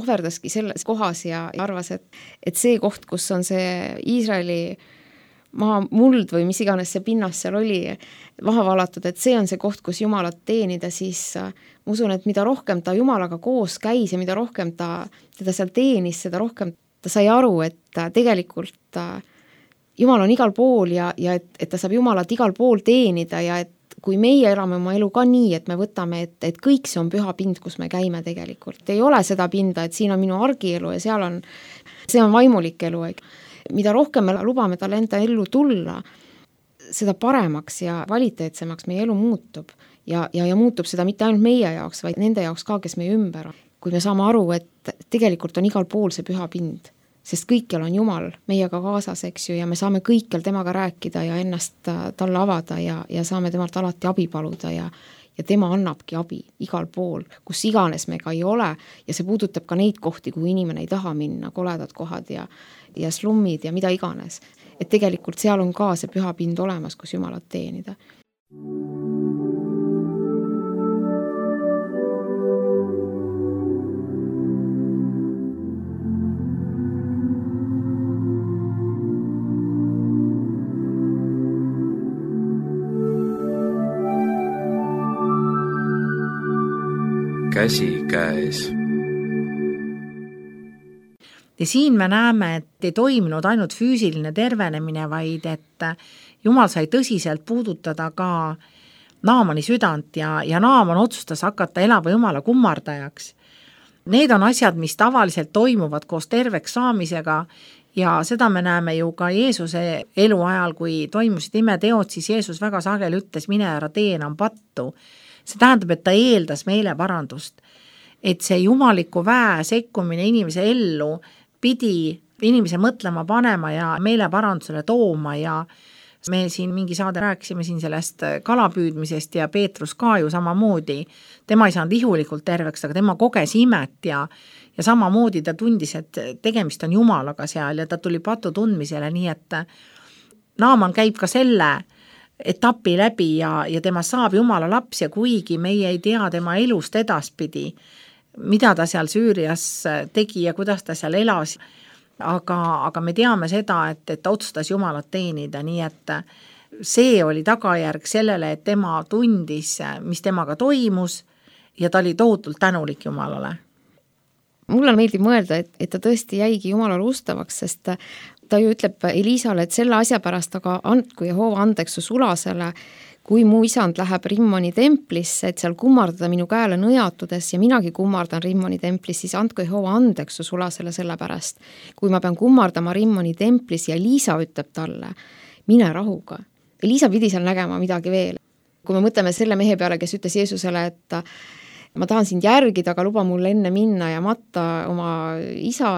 ohverdaski selles kohas ja arvas, et, et see koht, kus on see Iisraeli maa muld või mis iganes see pinnas seal oli maha valatud, et see on see koht, kus Jumalat teenida, siis ma usun, et mida rohkem ta Jumalaga koos käis ja mida rohkem ta teda seal teenis, seda rohkem ta sai aru, et tegelikult Jumal on igal pool ja, ja et, et ta saab Jumalat igal pool teenida ja et kui meie elame oma elu ka nii, et me võtame, et, et kõik see on püha pind, kus me käime tegelikult. Ei ole seda pinda, et siin on minu argielu ja seal on, see on vaimulik elu. Mida rohkem me lubame tal enda ellu tulla, seda paremaks ja kvaliteetsemaks meie elu muutub. Ja, ja, ja muutub seda mitte ainult meie jaoks, vaid nende jaoks ka, kes meie ümber on. Kui me saame aru, et tegelikult on igal pool see püha pind, sest kõikjal on Jumal meiega kaasas, eks ju, ja me saame kõikjal temaga rääkida ja ennast talle avada ja, ja saame temalt alati abi paluda ja, ja tema annabki abi igal pool, kus iganes me ka ei ole ja see puudutab ka neid kohti, kui inimene ei taha minna, koledad kohad ja, ja slummid ja mida iganes. Et tegelikult seal on ka see püha pind olemas, kus Jumalat teenida. Käsi käes. Ja siin me näeme, et ei toiminud ainult füüsiline tervenemine, vaid et Jumal sai tõsiselt puudutada ka Naamani südant ja, ja Naaman otsustas hakata elava Jumala kummardajaks. Need on asjad, mis tavaliselt toimuvad koos terveks saamisega ja seda me näeme ju ka Jeesuse elu ajal, kui toimusid imeteod, siis Jeesus väga sageli ütles, mine ära tee enam pattu. See tähendab, et ta eeldas meeleparandust, et see jumaliku väe sekkumine inimese ellu pidi inimese mõtlema panema ja meeleparandusele tooma ja me siin mingi saade rääkisime siin sellest kalapüüdmisest ja Peetrus ka ju samamoodi. Tema ei saanud ihulikult terveks, aga tema koges imet ja, ja samamoodi ta tundis, et tegemist on Jumalaga seal ja ta tuli patu tundmisele, nii et Naaman käib ka selle etapi läbi ja, ja tema saab Jumala laps ja kuigi meie ei tea tema elust edaspidi, mida ta seal Süürias tegi ja kuidas ta seal elas, aga, aga me teame seda, et, et ta otsustas Jumalat teenida, nii et see oli tagajärg sellele, et tema tundis, mis temaga toimus ja ta oli tohutult tänulik Jumalale. Mulle meeldib mõelda, et, et ta tõesti jäigi Jumalale ustavaks, sest ta ju ütleb Elisale, et selle asja pärast aga andku Jehova andeks su sulasele, kui mu isand läheb Rimmoni templisse, et seal kummardada minu käele nõjatudes ja minagi kummardan Rimmoni templis, siis andku Jehova andeks su sulasele selle pärast. Kui ma pean kummardama Rimmoni templis ja Elisa ütleb talle, mine rahuga. Elisa pidi seal nägema midagi veel. kui me mõtleme selle mehe peale, kes ütles Jeesusele, et ma tahan sind järgida, aga luba mul enne minna ja matta oma isa,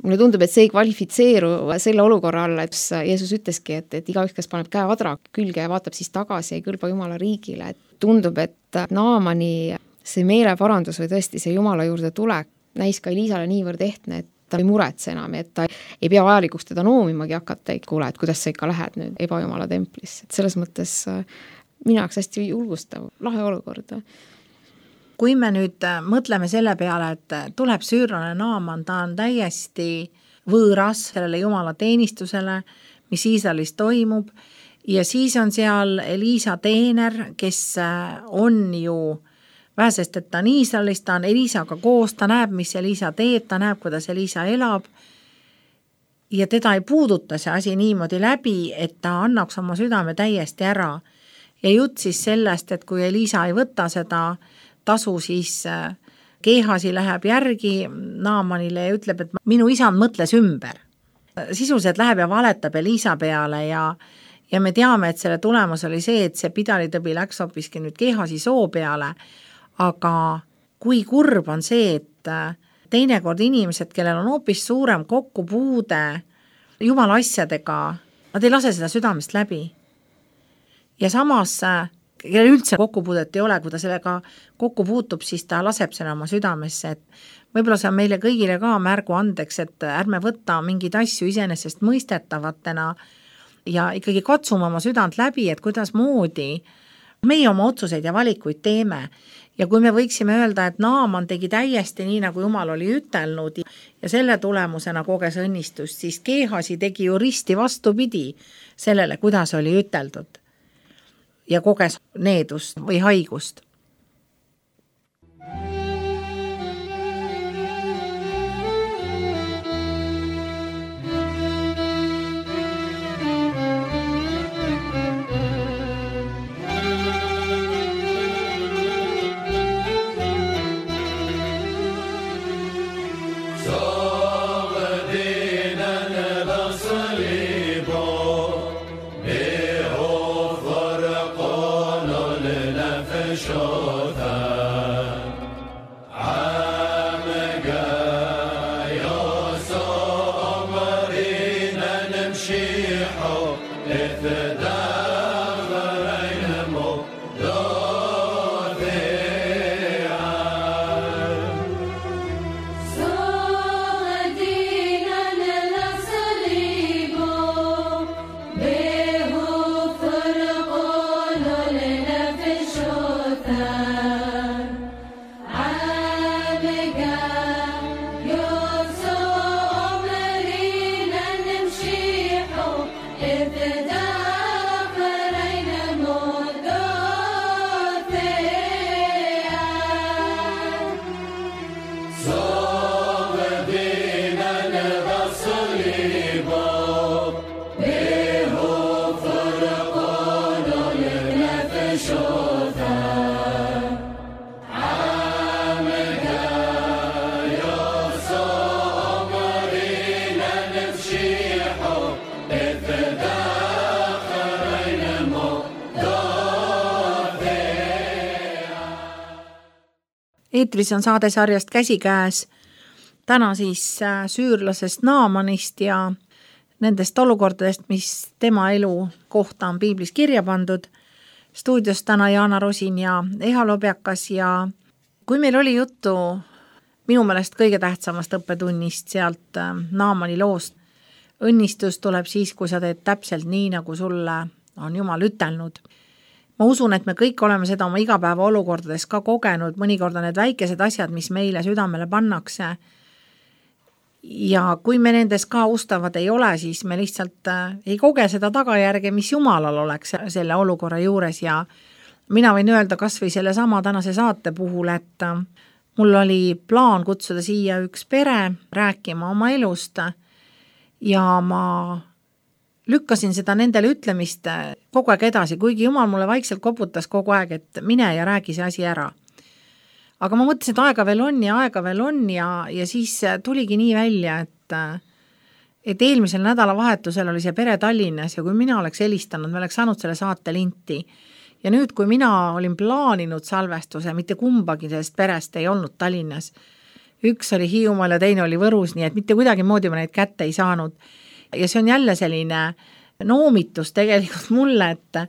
mulle tundub, et see ei kvalifitseeru selle olukorra alla, et Jeesus ütleski, et, et igaüks, kes paneb käe adra külge ja vaatab siis tagasi, ei kõlba Jumala riigile. Et tundub, et Naamani see meeleparandus või tõesti see Jumala juurde tulek näis ka Eliisale niivõrd ehtne, et ta ei muretse enam, et ta ei pea vajalikuks teda noomimagi hakata, et kuule, et kuidas sa ikka lähed nüüd ebajumala templisse. Et selles mõttes minu jaoks hästi julgustav, lahe olukord. Kui me nüüd mõtleme selle peale, et tuleb süürlane Naaman, ta on täiesti võõras sellele Jumala teenistusele, mis Iisraelis toimub, ja siis on seal Eliisa teener, kes on ju vähesest, et ta on Iisraelis, ta on Eliisaga koos, ta näeb, mis Eliisa teeb, ta näeb, kuidas Eliisa elab ja teda ei puuduta see asi niimoodi läbi, et ta annaks oma südame täiesti ära. Ja jutt siis sellest, et kui Eliisa ei võta seda tasu, siis Gehazi läheb järgi Naamanile ja ütleb, et minu isand mõtles ümber. Sisuliselt läheb ja valetab Eliisa peale ja, ja me teame, et selle tulemus oli see, et see pidalitõbi läks hoopiski nüüd Gehazi soo peale. Aga kui kurb on see, et teinekord inimesed, kellel on hoopis suurem kokkupuude Jumala asjadega, nad ei lase seda südamest läbi. Ja samas, kellel üldse kokkupuudet ei ole, kui ta sellega kokku puutub, siis ta laseb selle oma südamesse. Et võib-olla see on meile kõigile ka märgu andeks, et ärme võtta mingeid asju iseenesest mõistetavatena ja ikkagi katsume oma südant läbi, et kuidas moodi meie oma otsuseid ja valikuid teeme. Ja kui me võiksime öelda, et Naaman tegi täiesti nii, nagu Jumal oli ütelnud ja selle tulemusena koges õnnistust, siis Gehazi tegi ju risti vastupidi sellele, kuidas oli üteldud ja koges needust või haigust. Eetris on saade sarjast Käsikäes, täna siis süürlasest Naamanist ja nendest olukordadest, mis tema elu kohta on piiblis kirja pandud. Stuudios täna Jaana Rosin ja Eha Lobjakas ja kui meil oli juttu minu meelest kõige tähtsamast õppetunnist sealt Naamani loost, õnnistus tuleb siis, kui sa teed täpselt nii, nagu sulle on Jumal ütelnud. Ma usun, et me kõik oleme seda oma igapäeva olukordades ka kogenud, mõnikord on need väikesed asjad, mis meile südamele pannakse. Ja kui me nendes ka ustavad ei ole, siis me lihtsalt ei koge seda tagajärge, mis Jumalal oleks selle olukorra juures ja mina võin öelda kas või selle sama tänase saate puhul, et mul oli plaan kutsuda siia üks pere rääkima oma elust ja ma lükkasin seda nendele ütlemist kogu aeg edasi, kuigi Jumal mulle vaikselt koputas kogu aeg, et mine ja räägi see asi ära. Aga ma mõtlesin, et aega veel on ja aega veel on ja, ja siis tuligi nii välja, et, et eelmisel nädalavahetusel oli see pere Tallinnas ja kui mina oleks helistanud, me oleks saanud selle saate linti ja nüüd, kui mina olin plaaninud salvestuse, mitte kumbagi sellest perest ei olnud Tallinnas, üks oli Hiiumaal ja teine oli Võrus, nii et mitte kuidagi moodi ma neid kätte ei saanud. Ja see on jälle selline noomitus tegelikult mulle, et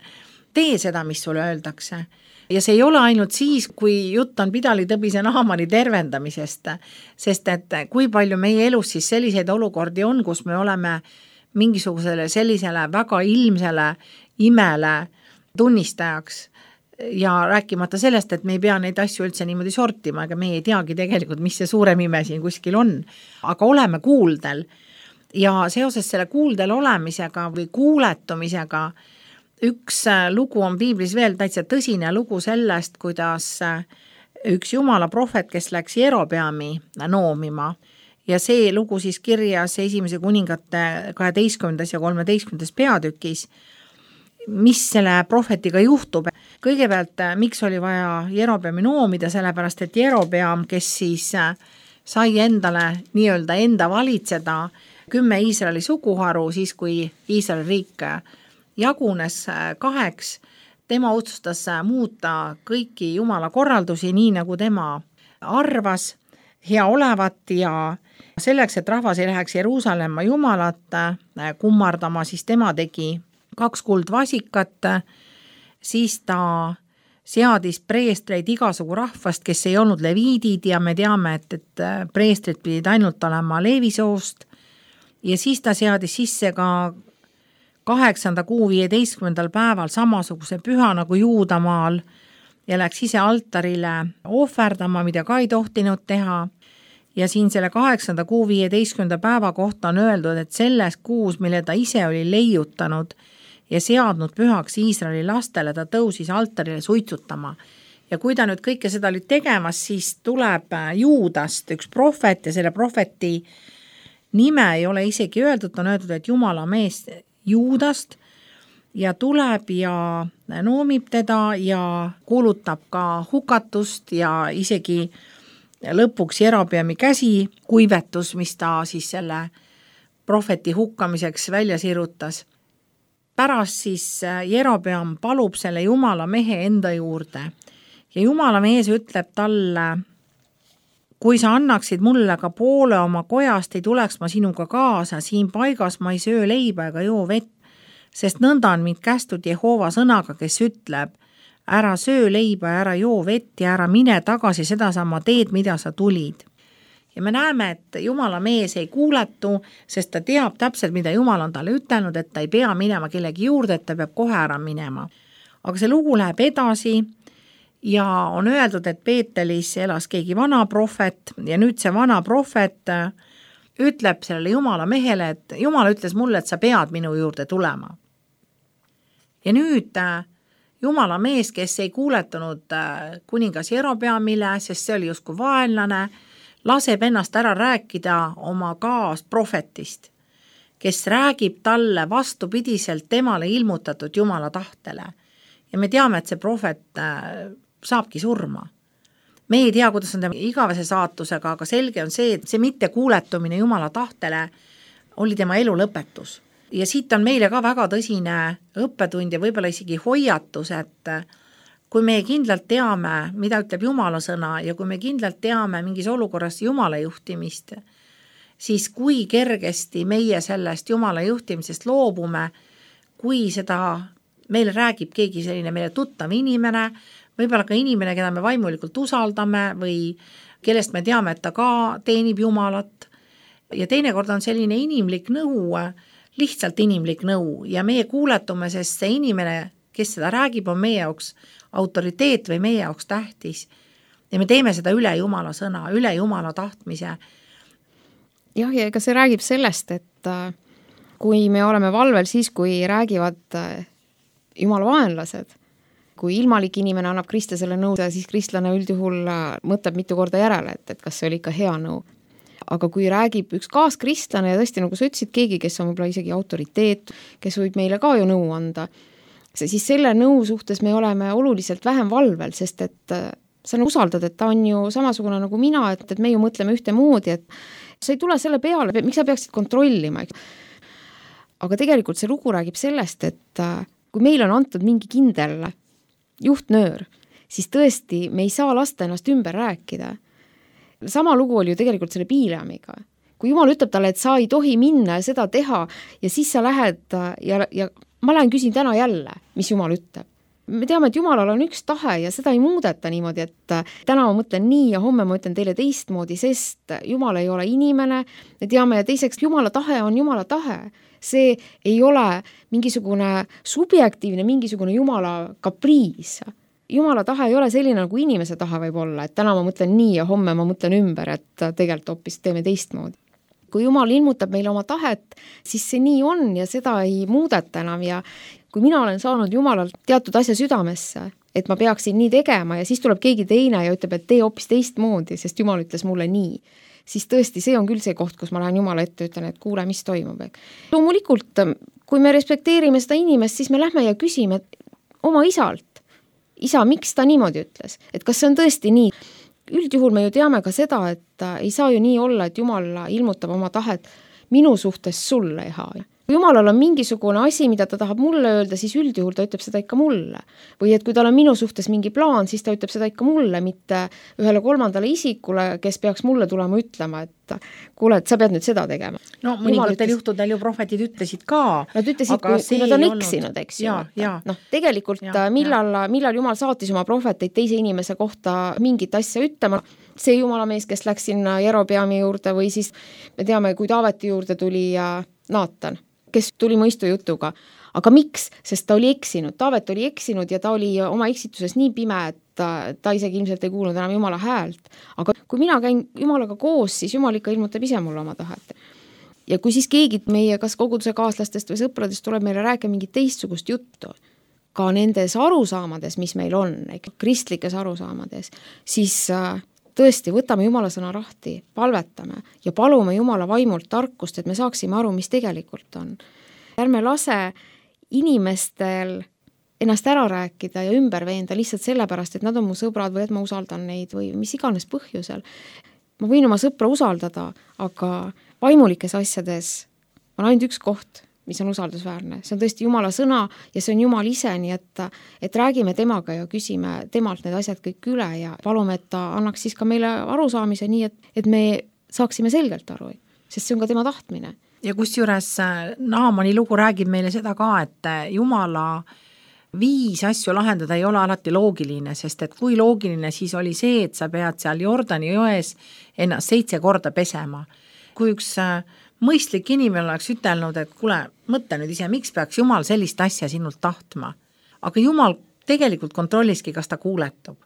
tee seda, mis sulle öeldakse. Ja see ei ole ainult siis, kui jutt on Pidali Tõbise Naamani tervendamisest, sest et kui palju meie elus siis selliseid olukordi on, kus me oleme mingisugusele sellisele väga ilmsele imele tunnistajaks ja rääkimata sellest, et me ei pea neid asju üldse niimoodi sortima, ega me ei teagi tegelikult, mis see suurem ime siin kuskil on, aga oleme kuuldel ja seoses selle kuuldel olemisega või kuuletumisega üks lugu on piiblis veel täitsa tõsine lugu sellest, kuidas üks jumala prohvet, kes läks Jerobeami noomima ja see lugu siis kirjas esimese kuningate kaheteistkümnendas ja kolmeteistkümnendas peatükis, mis selle prohvetiga juhtub. Kõigepealt, miks oli vaja Jerobeami noomida, sellepärast et Jerobeam, kes siis sai endale nii-öelda enda valitseda kümme Iisraeli suguharu, siis kui Iisraeli riik jagunes kaheks, tema otsustas muuta kõiki jumala korraldusi nii, nagu tema arvas hea olevat ja selleks, et rahvas ei läheks Jeruusalemma jumalat kummardama, siis tema tegi kaks kuldvasikat, siis ta seadis preestreid igasugu rahvast, kes ei olnud leviidid ja me teame, et, et preestrid pidid ainult olema leevisoost ja siis ta seadis sisse ka kaheksanda kuu viieteistkümnendal päeval samasuguse püha nagu Juudamaal ja läks ise altarile ohverdama, mida ka ei tohtinud teha. Ja siin selle kaheksanda kuu viieteistkümnenda päeva kohta on öeldud, et selles kuus, mille ta ise oli leiutanud ja seadnud pühaks Iisraeli lastele, ta tõusis altarile suitsutama. Ja kui ta nüüd kõike seda oli tegemas, siis tuleb Juudast üks prohvet ja selle prohveti nime ei ole isegi öeldud, on öeldud, et Jumala mees Juudast ja tuleb ja noomib teda ja kuulutab ka hukatust ja isegi lõpuks Jerobeami käsi kuivetus, mis ta siis selle prohveti hukkamiseks välja sirutas. Pärast siis Jerobeam palub selle jumala mehe enda juurde ja jumala mees ütleb talle, kui sa annaksid mulle ka poole oma kojast, ei tuleks ma sinuga kaasa, siin paigas ma ei söö leiba ega joo vett, sest nõnda on mind kästud Jehova sõnaga, kes ütleb, ära söö leiba, ära joo vett ja ära mine tagasi sedasama teed, mida sa tulid. Ja me näeme, et jumala mees ei kuuletu, sest ta teab täpselt, mida jumal on talle ütelnud, et ta ei pea minema kellegi juurde, et ta peab kohe ära minema. Aga see lugu läheb edasi ja on öeldud, et Peetelis elas keegi vana prohvet ja nüüd see vana prohvet ütleb sellele jumala mehele, et jumal ütles mulle, et sa pead minu juurde tulema. Ja nüüd jumala mees, kes ei kuuletunud kuningas Jerobeamile, sest see oli justkui vaenlane, laseb ennast ära rääkida oma kaasprohvetist, kes räägib talle vastupidiselt temale ilmutatud jumala tahtele. Ja me teame, et see prohvet saabki surma. Me ei tea, kuidas on tema igavese saatusega, aga selge on see, et see mitte kuuletumine jumala tahtele oli tema elu lõpetus. Ja siit on meile ka väga tõsine õppetund ja võib-olla isegi hoiatus, et kui me kindlalt teame, mida ütleb jumala sõna ja kui me kindlalt teame mingis olukorras jumala juhtimist, siis kui kergesti meie sellest jumala juhtimisest loobume, kui seda meile räägib keegi selline meile tuttav inimene, võib-olla ka inimene, keda me vaimulikult usaldame või kellest me teame, et ta ka teenib jumalat. Ja teinekord on selline inimlik nõu, lihtsalt inimlik nõu ja meie kuuletume, sest see inimene, kes seda räägib, on meie jaoks autoriteet või meie jaoks tähtis. Ja me teeme seda üle jumala sõna, üle jumala tahtmise. Jah, ja ega see räägib sellest, et kui me oleme valvel siis, kui räägivad jumala vaenlased, kui ilmalik inimene annab kristlasele nõu, siis kristlane üldjuhul mõtleb mitu korda järele, et, et kas see oli ikka hea nõu. Aga kui räägib üks kaaskristlane ja tõesti, nagu sa ütlesid, keegi, kes on võib-olla isegi autoriteet, kes võib meile ka ju nõu anda, siis selle nõu suhtes me oleme oluliselt vähem valvel, sest et sa usaldad, et ta on ju samasugune nagu mina, et, et me ju mõtleme ühte moodi, et sa ei tule selle peale, miks sa peaksid kontrollima. Aga tegelikult see lugu räägib sellest, et kui meil on antud mingi kindel juhtnöör, siis tõesti me ei saa lasta ennast ümber rääkida. Sama lugu oli ju tegelikult selle Bileamiga. Kui Jumal ütleb talle, et sa ei tohi minna ja seda teha ja siis sa lähed ja, ja ma lähen küsin täna jälle, mis Jumal ütleb. Me teame, et Jumalal on üks tahe ja seda ei muudeta niimoodi, et täna ma mõtlen nii ja homme ma ütlen teile teistmoodi, sest Jumal ei ole inimene, me teame ja teiseks Jumala tahe on Jumala tahe. See ei ole mingisugune subjektiivne, mingisugune Jumala kapriis. Jumala tahe ei ole selline, nagu inimese tahe võib olla, et täna ma mõtlen nii ja homme ma mõtlen ümber, et tegelikult hoopis teeme teistmoodi. Kui Jumal ilmutab meile oma tahet, siis see nii on ja seda ei muudeta enam ja kui mina olen saanud Jumalalt teatud asja südamesse, et ma peaksin nii tegema ja siis tuleb keegi teine ja ütleb, et tee hoopis teistmoodi, sest Jumal ütles mulle nii, siis tõesti see on küll see koht, kus ma lähen Jumala ette ja ütlen, et kuule, mis toimub. Loomulikult, kui me respekteerime seda inimest, siis me lähme ja küsime oma isalt, isa, miks ta niimoodi ütles, et kas see on tõesti nii. Üldjuhul me ju teame ka seda, et ei saa ju nii olla, et Jumal ilmutab oma tahet minu suhtes sulle ei haa. Kui Jumalal on mingisugune asi, mida ta tahab mulle öelda, siis üldjuhul ta ütleb seda ikka mulle. Või et kui tal on minu suhtes mingi plaan, siis ta ütleb seda ikka mulle, mitte ühele kolmandale isikule, kes peaks mulle tulema ütlema, et kuule, et sa pead nüüd seda tegema. No mõningatel ütles... juhtudel ju prohvetid ütlesid ka. Nad ütlesid, kui, kui nad on eksinud, eks ju. No, tegelikult ja, millal, millal Jumal saatis oma prohveteid teise inimese kohta mingit asja ütlema, see Jumala mees, kes läks sinna Jerobeami juurde või siis me teame, kui Taaveti juurde tuli Naatan, kes tuli mõistu jutuga. Aga miks? Sest ta oli eksinud. Taavet oli eksinud ja ta oli oma eksituses nii pime, et ta, ta isegi ilmselt ei kuulnud enam Jumala häält. Aga kui mina käin Jumalaga koos, siis Jumal ikka ilmutab ise mulle oma tahet. Ja kui siis keegi meie kas koguduse kaaslastest või sõpradest tuleb meile rääkima mingit teistsugust juttu, ka nendes arusaamades, mis meil on, kristlikes arusaamades, siis tõesti, võtame Jumala sõna rahti, palvetame ja palume Jumala vaimult tarkust, et me saaksime aru, mis tegelikult on. Ärme lase inimestel ennast ära rääkida ja ümber veenda lihtsalt sellepärast, et nad on mu sõbrad või et ma usaldan neid või mis iganes põhjusel. Ma võin oma sõpra usaldada, aga vaimulikes asjades on ainult üks koht, mis on usaldusväärne. See on tõesti Jumala sõna ja see on Jumal ise, nii et, et räägime temaga ja küsime temalt need asjad kõik üle ja palume, et ta annaks siis ka meile arusaamise nii, et, et me saaksime selgelt aru, sest see on ka tema tahtmine. Ja kusjuures Naamani lugu räägib meile seda ka, et Jumala viis asju lahendada ei ole alati loogiline, sest et kui loogiline siis oli see, et sa pead seal Jordani jões ennast seitse korda pesema. Kui üks mõistlik inimene oleks ütelnud, et kuule, mõtle nüüd ise, miks peaks Jumal sellist asja sinult tahtma. Aga Jumal tegelikult kontrolliski, kas ta kuuletub.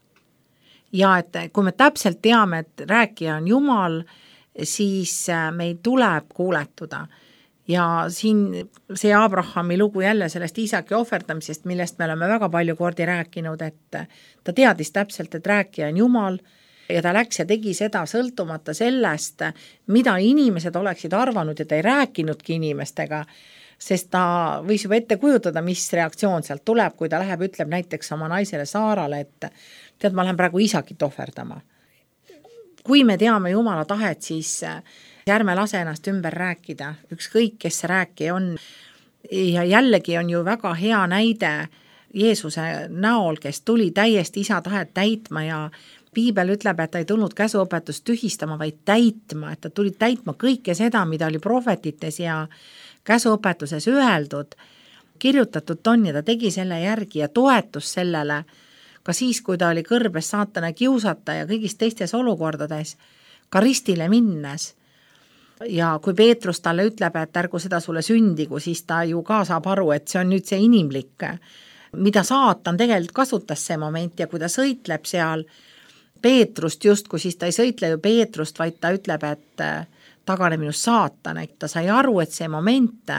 Ja et kui me täpselt teame, et rääkija on Jumal, siis meil tuleb kuuletuda. Ja siin see Abrahami lugu jälle sellest Iisaki ohverdamisest, millest me oleme väga palju kordi rääkinud, et ta teadis täpselt, et rääkija on Jumal, ja ta läks ja tegi seda sõltumata sellest, mida inimesed oleksid arvanud ja ta ei rääkinudki inimestega, sest ta võis juba ette kujutada, mis reaktsioon sealt tuleb, kui ta läheb, ütleb näiteks oma naisele Saarale, et tead, ma lähen praegu Iisakit ohverdama. Kui me teame Jumala tahet, siis ärme lase ennast ümber rääkida, ükskõik, kes see rääkija on. Ja jällegi on ju väga hea näide Jeesuse näol, kes tuli täiesti isa tahet täitma ja Piibel ütleb, et ta ei tulnud käsuõpetust tühistama, vaid täitma, et ta tuli täitma kõike seda, mida oli prohvetites ja käsuõpetuses öeldud, kirjutatud on ja ta tegi selle järgi ja toetus sellele, ka siis, kui ta oli kõrbes saatana kiusata ja kõigis teistes olukordades, ka ristile minnes. Ja kui Peetrus talle ütleb, et ärgu seda sulle sündigu, siis ta ju ka saab aru, et see on nüüd see inimlik, mida saatan tegelikult kasutas see moment ja kui ta sõitleb seal Peetrust just, kui siis ta ei sõitle ju Peetrust, vaid ta ütleb, et tagane minust saatan, et ta sai aru, et see moment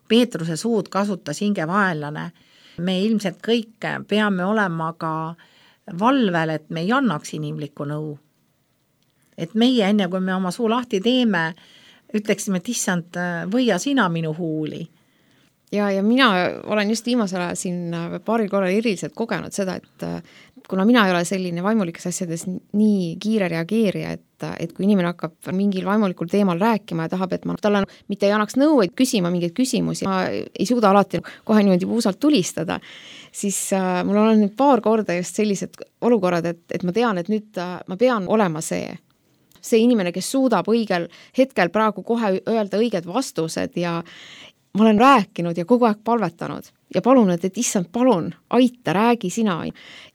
Peetruse suud kasutas hingevaenlane. Me ilmselt kõik peame olema ka valvel, et me ei annaks inimlikku nõu. Et meie enne, kui me oma suu lahti teeme, ütleksime, et issand, võia sina minu huuli. ja, ja mina olen just viimasel ajal siin paaril korral eriliselt kogenud seda, et kuna mina ei ole selline vaimulikes asjades nii kiire reageerija, et, et kui inimene hakkab mingil vaimulikul teemal rääkima ja tahab, et ma talle mitte ei annaks nõu, et küsima mingeid küsimusi, ma ei suuda alati kohe niimoodi puusalt tulistada, siis äh, mul on nüüd paar korda just sellised olukorrad, et, et ma tean, et nüüd äh, ma pean olema see, see inimene, kes suudab õigel hetkel praegu kohe öelda õiged vastused ja ma olen rääkinud ja kogu aeg palvetanud ja palunud, et issand, palun, aita, räägi sina.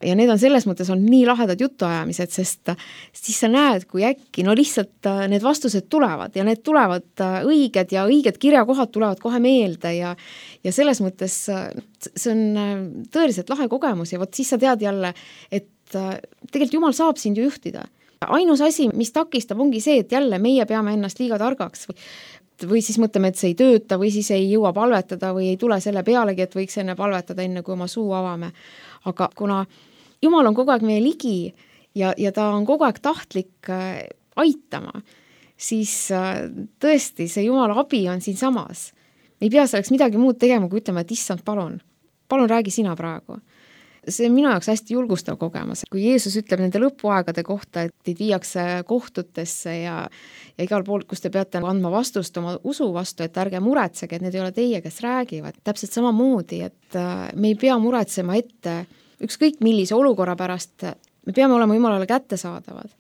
Ja need on selles mõttes on nii lahedad jutuajamised, sest siis sa näed, kui äkki, no lihtsalt need vastused tulevad ja need tulevad õiged ja õiged kirjakohad tulevad kohe meelde ja, ja selles mõttes see on tõeliselt lahe kogemus ja vot siis sa tead jälle, et tegelikult Jumal saab sind ju juhtida. Ainus asi, mis takistab, ongi see, et jälle meie peame ennast liiga targaks või või siis mõtleme, et see ei tööta või siis ei jõua palvetada või ei tule selle pealegi, et võiks enne palvetada, enne kui oma suu avame. Aga kuna Jumal on kogu aeg meie ligi ja, ja ta on kogu aeg tahtlik aitama, siis tõesti see Jumala abi on siin samas. Me ei pea selleks midagi muud tegema, kui ütlema, et issand, palun, palun räägi sina praegu. See on minu jaoks hästi julgustav kogemus. Kui Jeesus ütleb nende lõpuaegade kohta, et teid viiakse kohtutesse ja, ja igal pool, kus te peate andma vastust oma usu vastu, et ärge muretsege, et need ei ole teie, kes räägivad. Täpselt samamoodi, et me ei pea muretsema ette ükskõik millise olukorra pärast, me peame olema Jumalale kättesaadavad.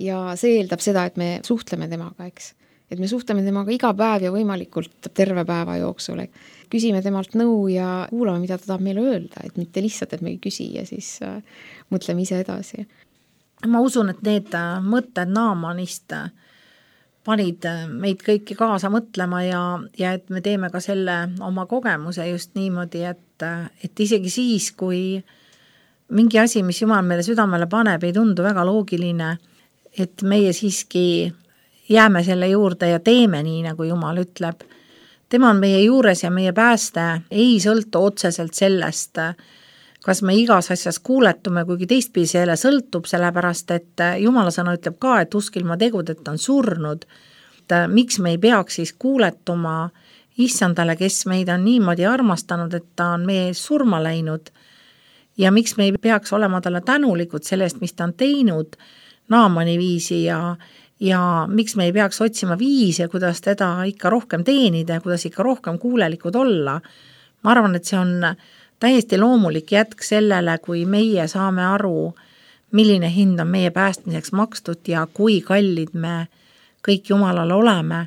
Ja see eeldab seda, et me suhtleme temaga, eks. Et me suhtleme temaga iga päev ja võimalikult terve päeva jooksul. Küsime temalt nõu ja kuulame, mida ta tahab meile öelda, et mitte lihtsalt, et me ei küsi ja siis äh, mõtleme ise edasi. Ma usun, et need mõtted Naamanist panid meid kõiki kaasa mõtlema ja, ja et me teeme ka selle oma kogemuse just niimoodi, et, et isegi siis, kui mingi asi, mis Jumal meile südamele paneb, ei tundu väga loogiline, et meie siiski jääme selle juurde ja teeme nii, nagu Jumal ütleb. Tema on meie juures ja meie pääste ei sõltu otseselt sellest, kas me igas asjas kuuletume, kuigi teistpidi selle sõltub, sellepärast, et Jumala sõna ütleb ka, et usk ilma tegudeta on surnud. Et miks me ei peaks siis kuuletuma issandale, kes meid on niimoodi armastanud, et ta on meie surma läinud ja miks me ei peaks olema talle tänulikud sellest, mis ta on teinud Naamani viisi ja ja miks me ei peaks otsima viise, kuidas teda ikka rohkem teenida ja kuidas ikka rohkem kuulelikud olla. Ma arvan, et see on täiesti loomulik jätk sellele, kui meie saame aru, milline hind on meie päästmiseks makstud ja kui kallid me kõik Jumalale oleme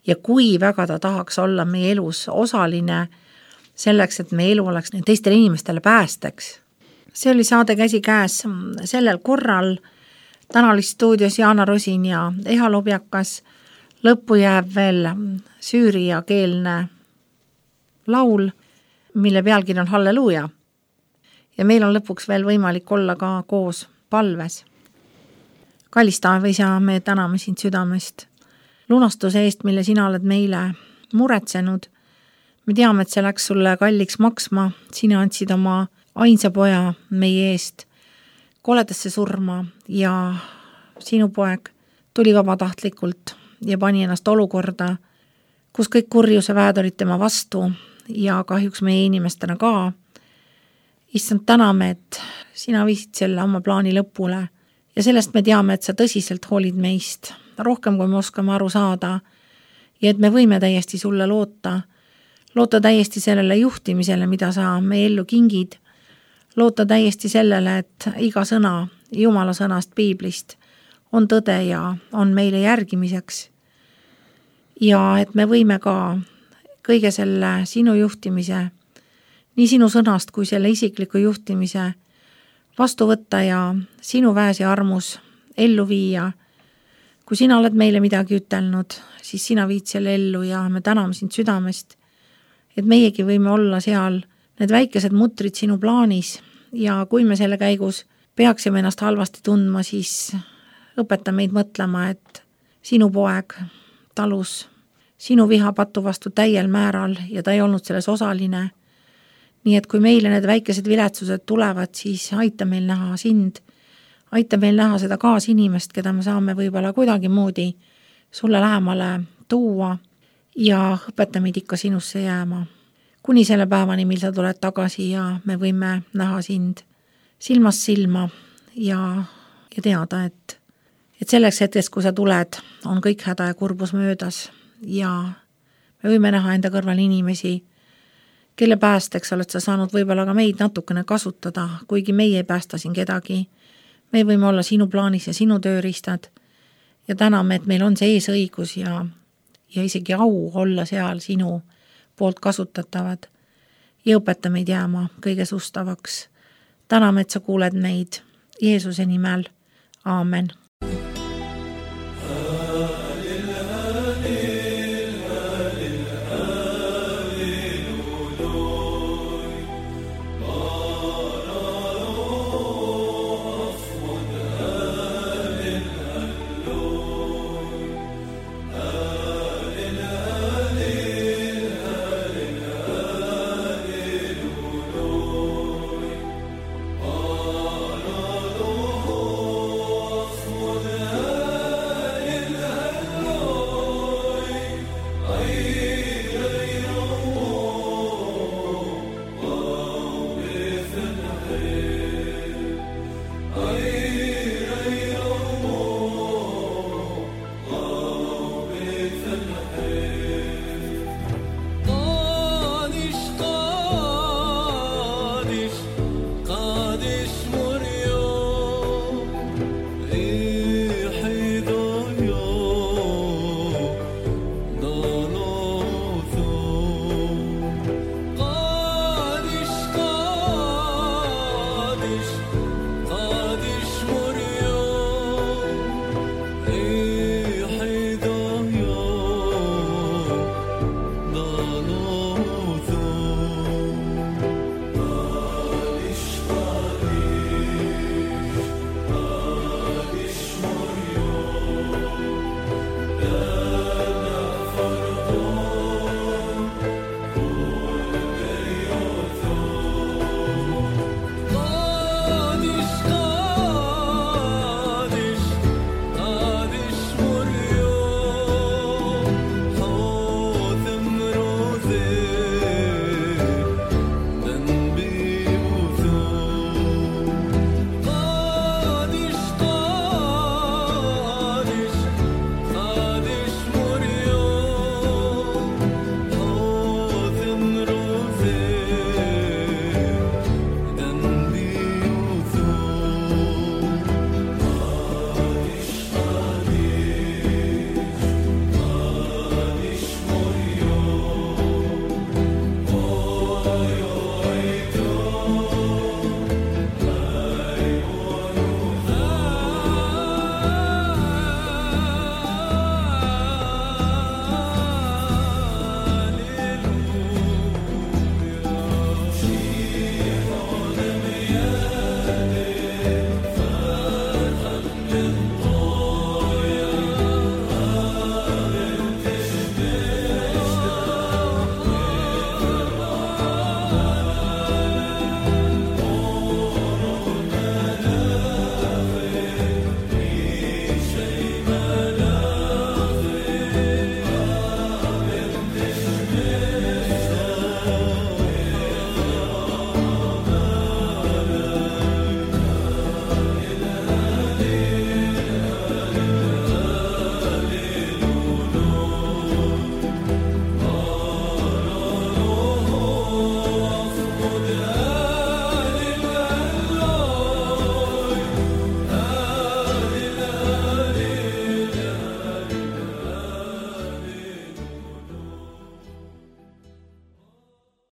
ja kui väga ta tahaks olla meie elus osaline selleks, et meie elu oleks teistele inimestele päästeks. See oli saade Käsi käes sellel korral. Täna oli stuudios Jaana Rosin ja Eha Lobjakas. Lõppu jääb veel süüria keelne laul, mille pealkiri on Halleluuja. Ja meil on lõpuks veel võimalik olla ka koos palves. Kallis taeva isa, me täname sind südamest. Lunastuse eest, mille sina oled meile muretsenud. Me teame, et see läks sulle kalliks maksma. Sina andsid oma ainsa poja meie eest koledasse surma ja sinu poeg tuli vabatahtlikult ja pani ennast olukorda, kus kõik kurjuse väed olid tema vastu ja kahjuks meie inimestena ka. Issand, täname, et sina viisid selle oma plaani lõpule ja sellest me teame, et sa tõsiselt hoolid meist, rohkem kui me oskame aru saada ja et me võime täiesti sulle loota, loota täiesti sellele juhtimisele, mida sa meie ellu kingid, loota täiesti sellele, et iga sõna Jumala sõnast Piiblist on tõde ja on meile järgimiseks. Ja et me võime ka kõige selle sinu juhtimise, nii sinu sõnast kui selle isikliku juhtimise vastu võtta ja sinu väes ja armus ellu viia. Kui sina oled meile midagi ütelnud, siis sina viid selle ellu ja me täname sind südamest, et meiegi võime olla seal need väikesed mutrid sinu plaanis ja kui me selle käigus peaksime ennast halvasti tundma, siis õpeta meid mõtlema, et sinu poeg talus sinu viha patu vastu täiel määral ja ta ei olnud selles osaline. Nii et kui meile need väikesed viletsused tulevad, siis aita meil näha sind, aita meil näha seda kaasinimest, keda me saame võib-olla kuidagi moodi sulle lähemale tuua ja õpeta meid ikka sinusse jääma. kuni selle päevani, mil sa tuled tagasi ja me võime näha sind silmast silma ja, ja teada, et, et selleks hetkest, kui sa tuled, on kõik häda ja kurbus möödas ja me võime näha enda kõrval inimesi, kelle päästeks oled sa saanud võib-olla ka meid natukene kasutada, kuigi meie ei päästa siin kedagi. Me võime olla sinu plaanis ja sinu tööriistad ja täname, et meil on see eesõigus ja, ja isegi au olla seal sinu poolt kasutatavad ja õpeta meid jääma kõige sustavaks. Täname, et sa kuuled meid Jeesuse nimel. Aamen.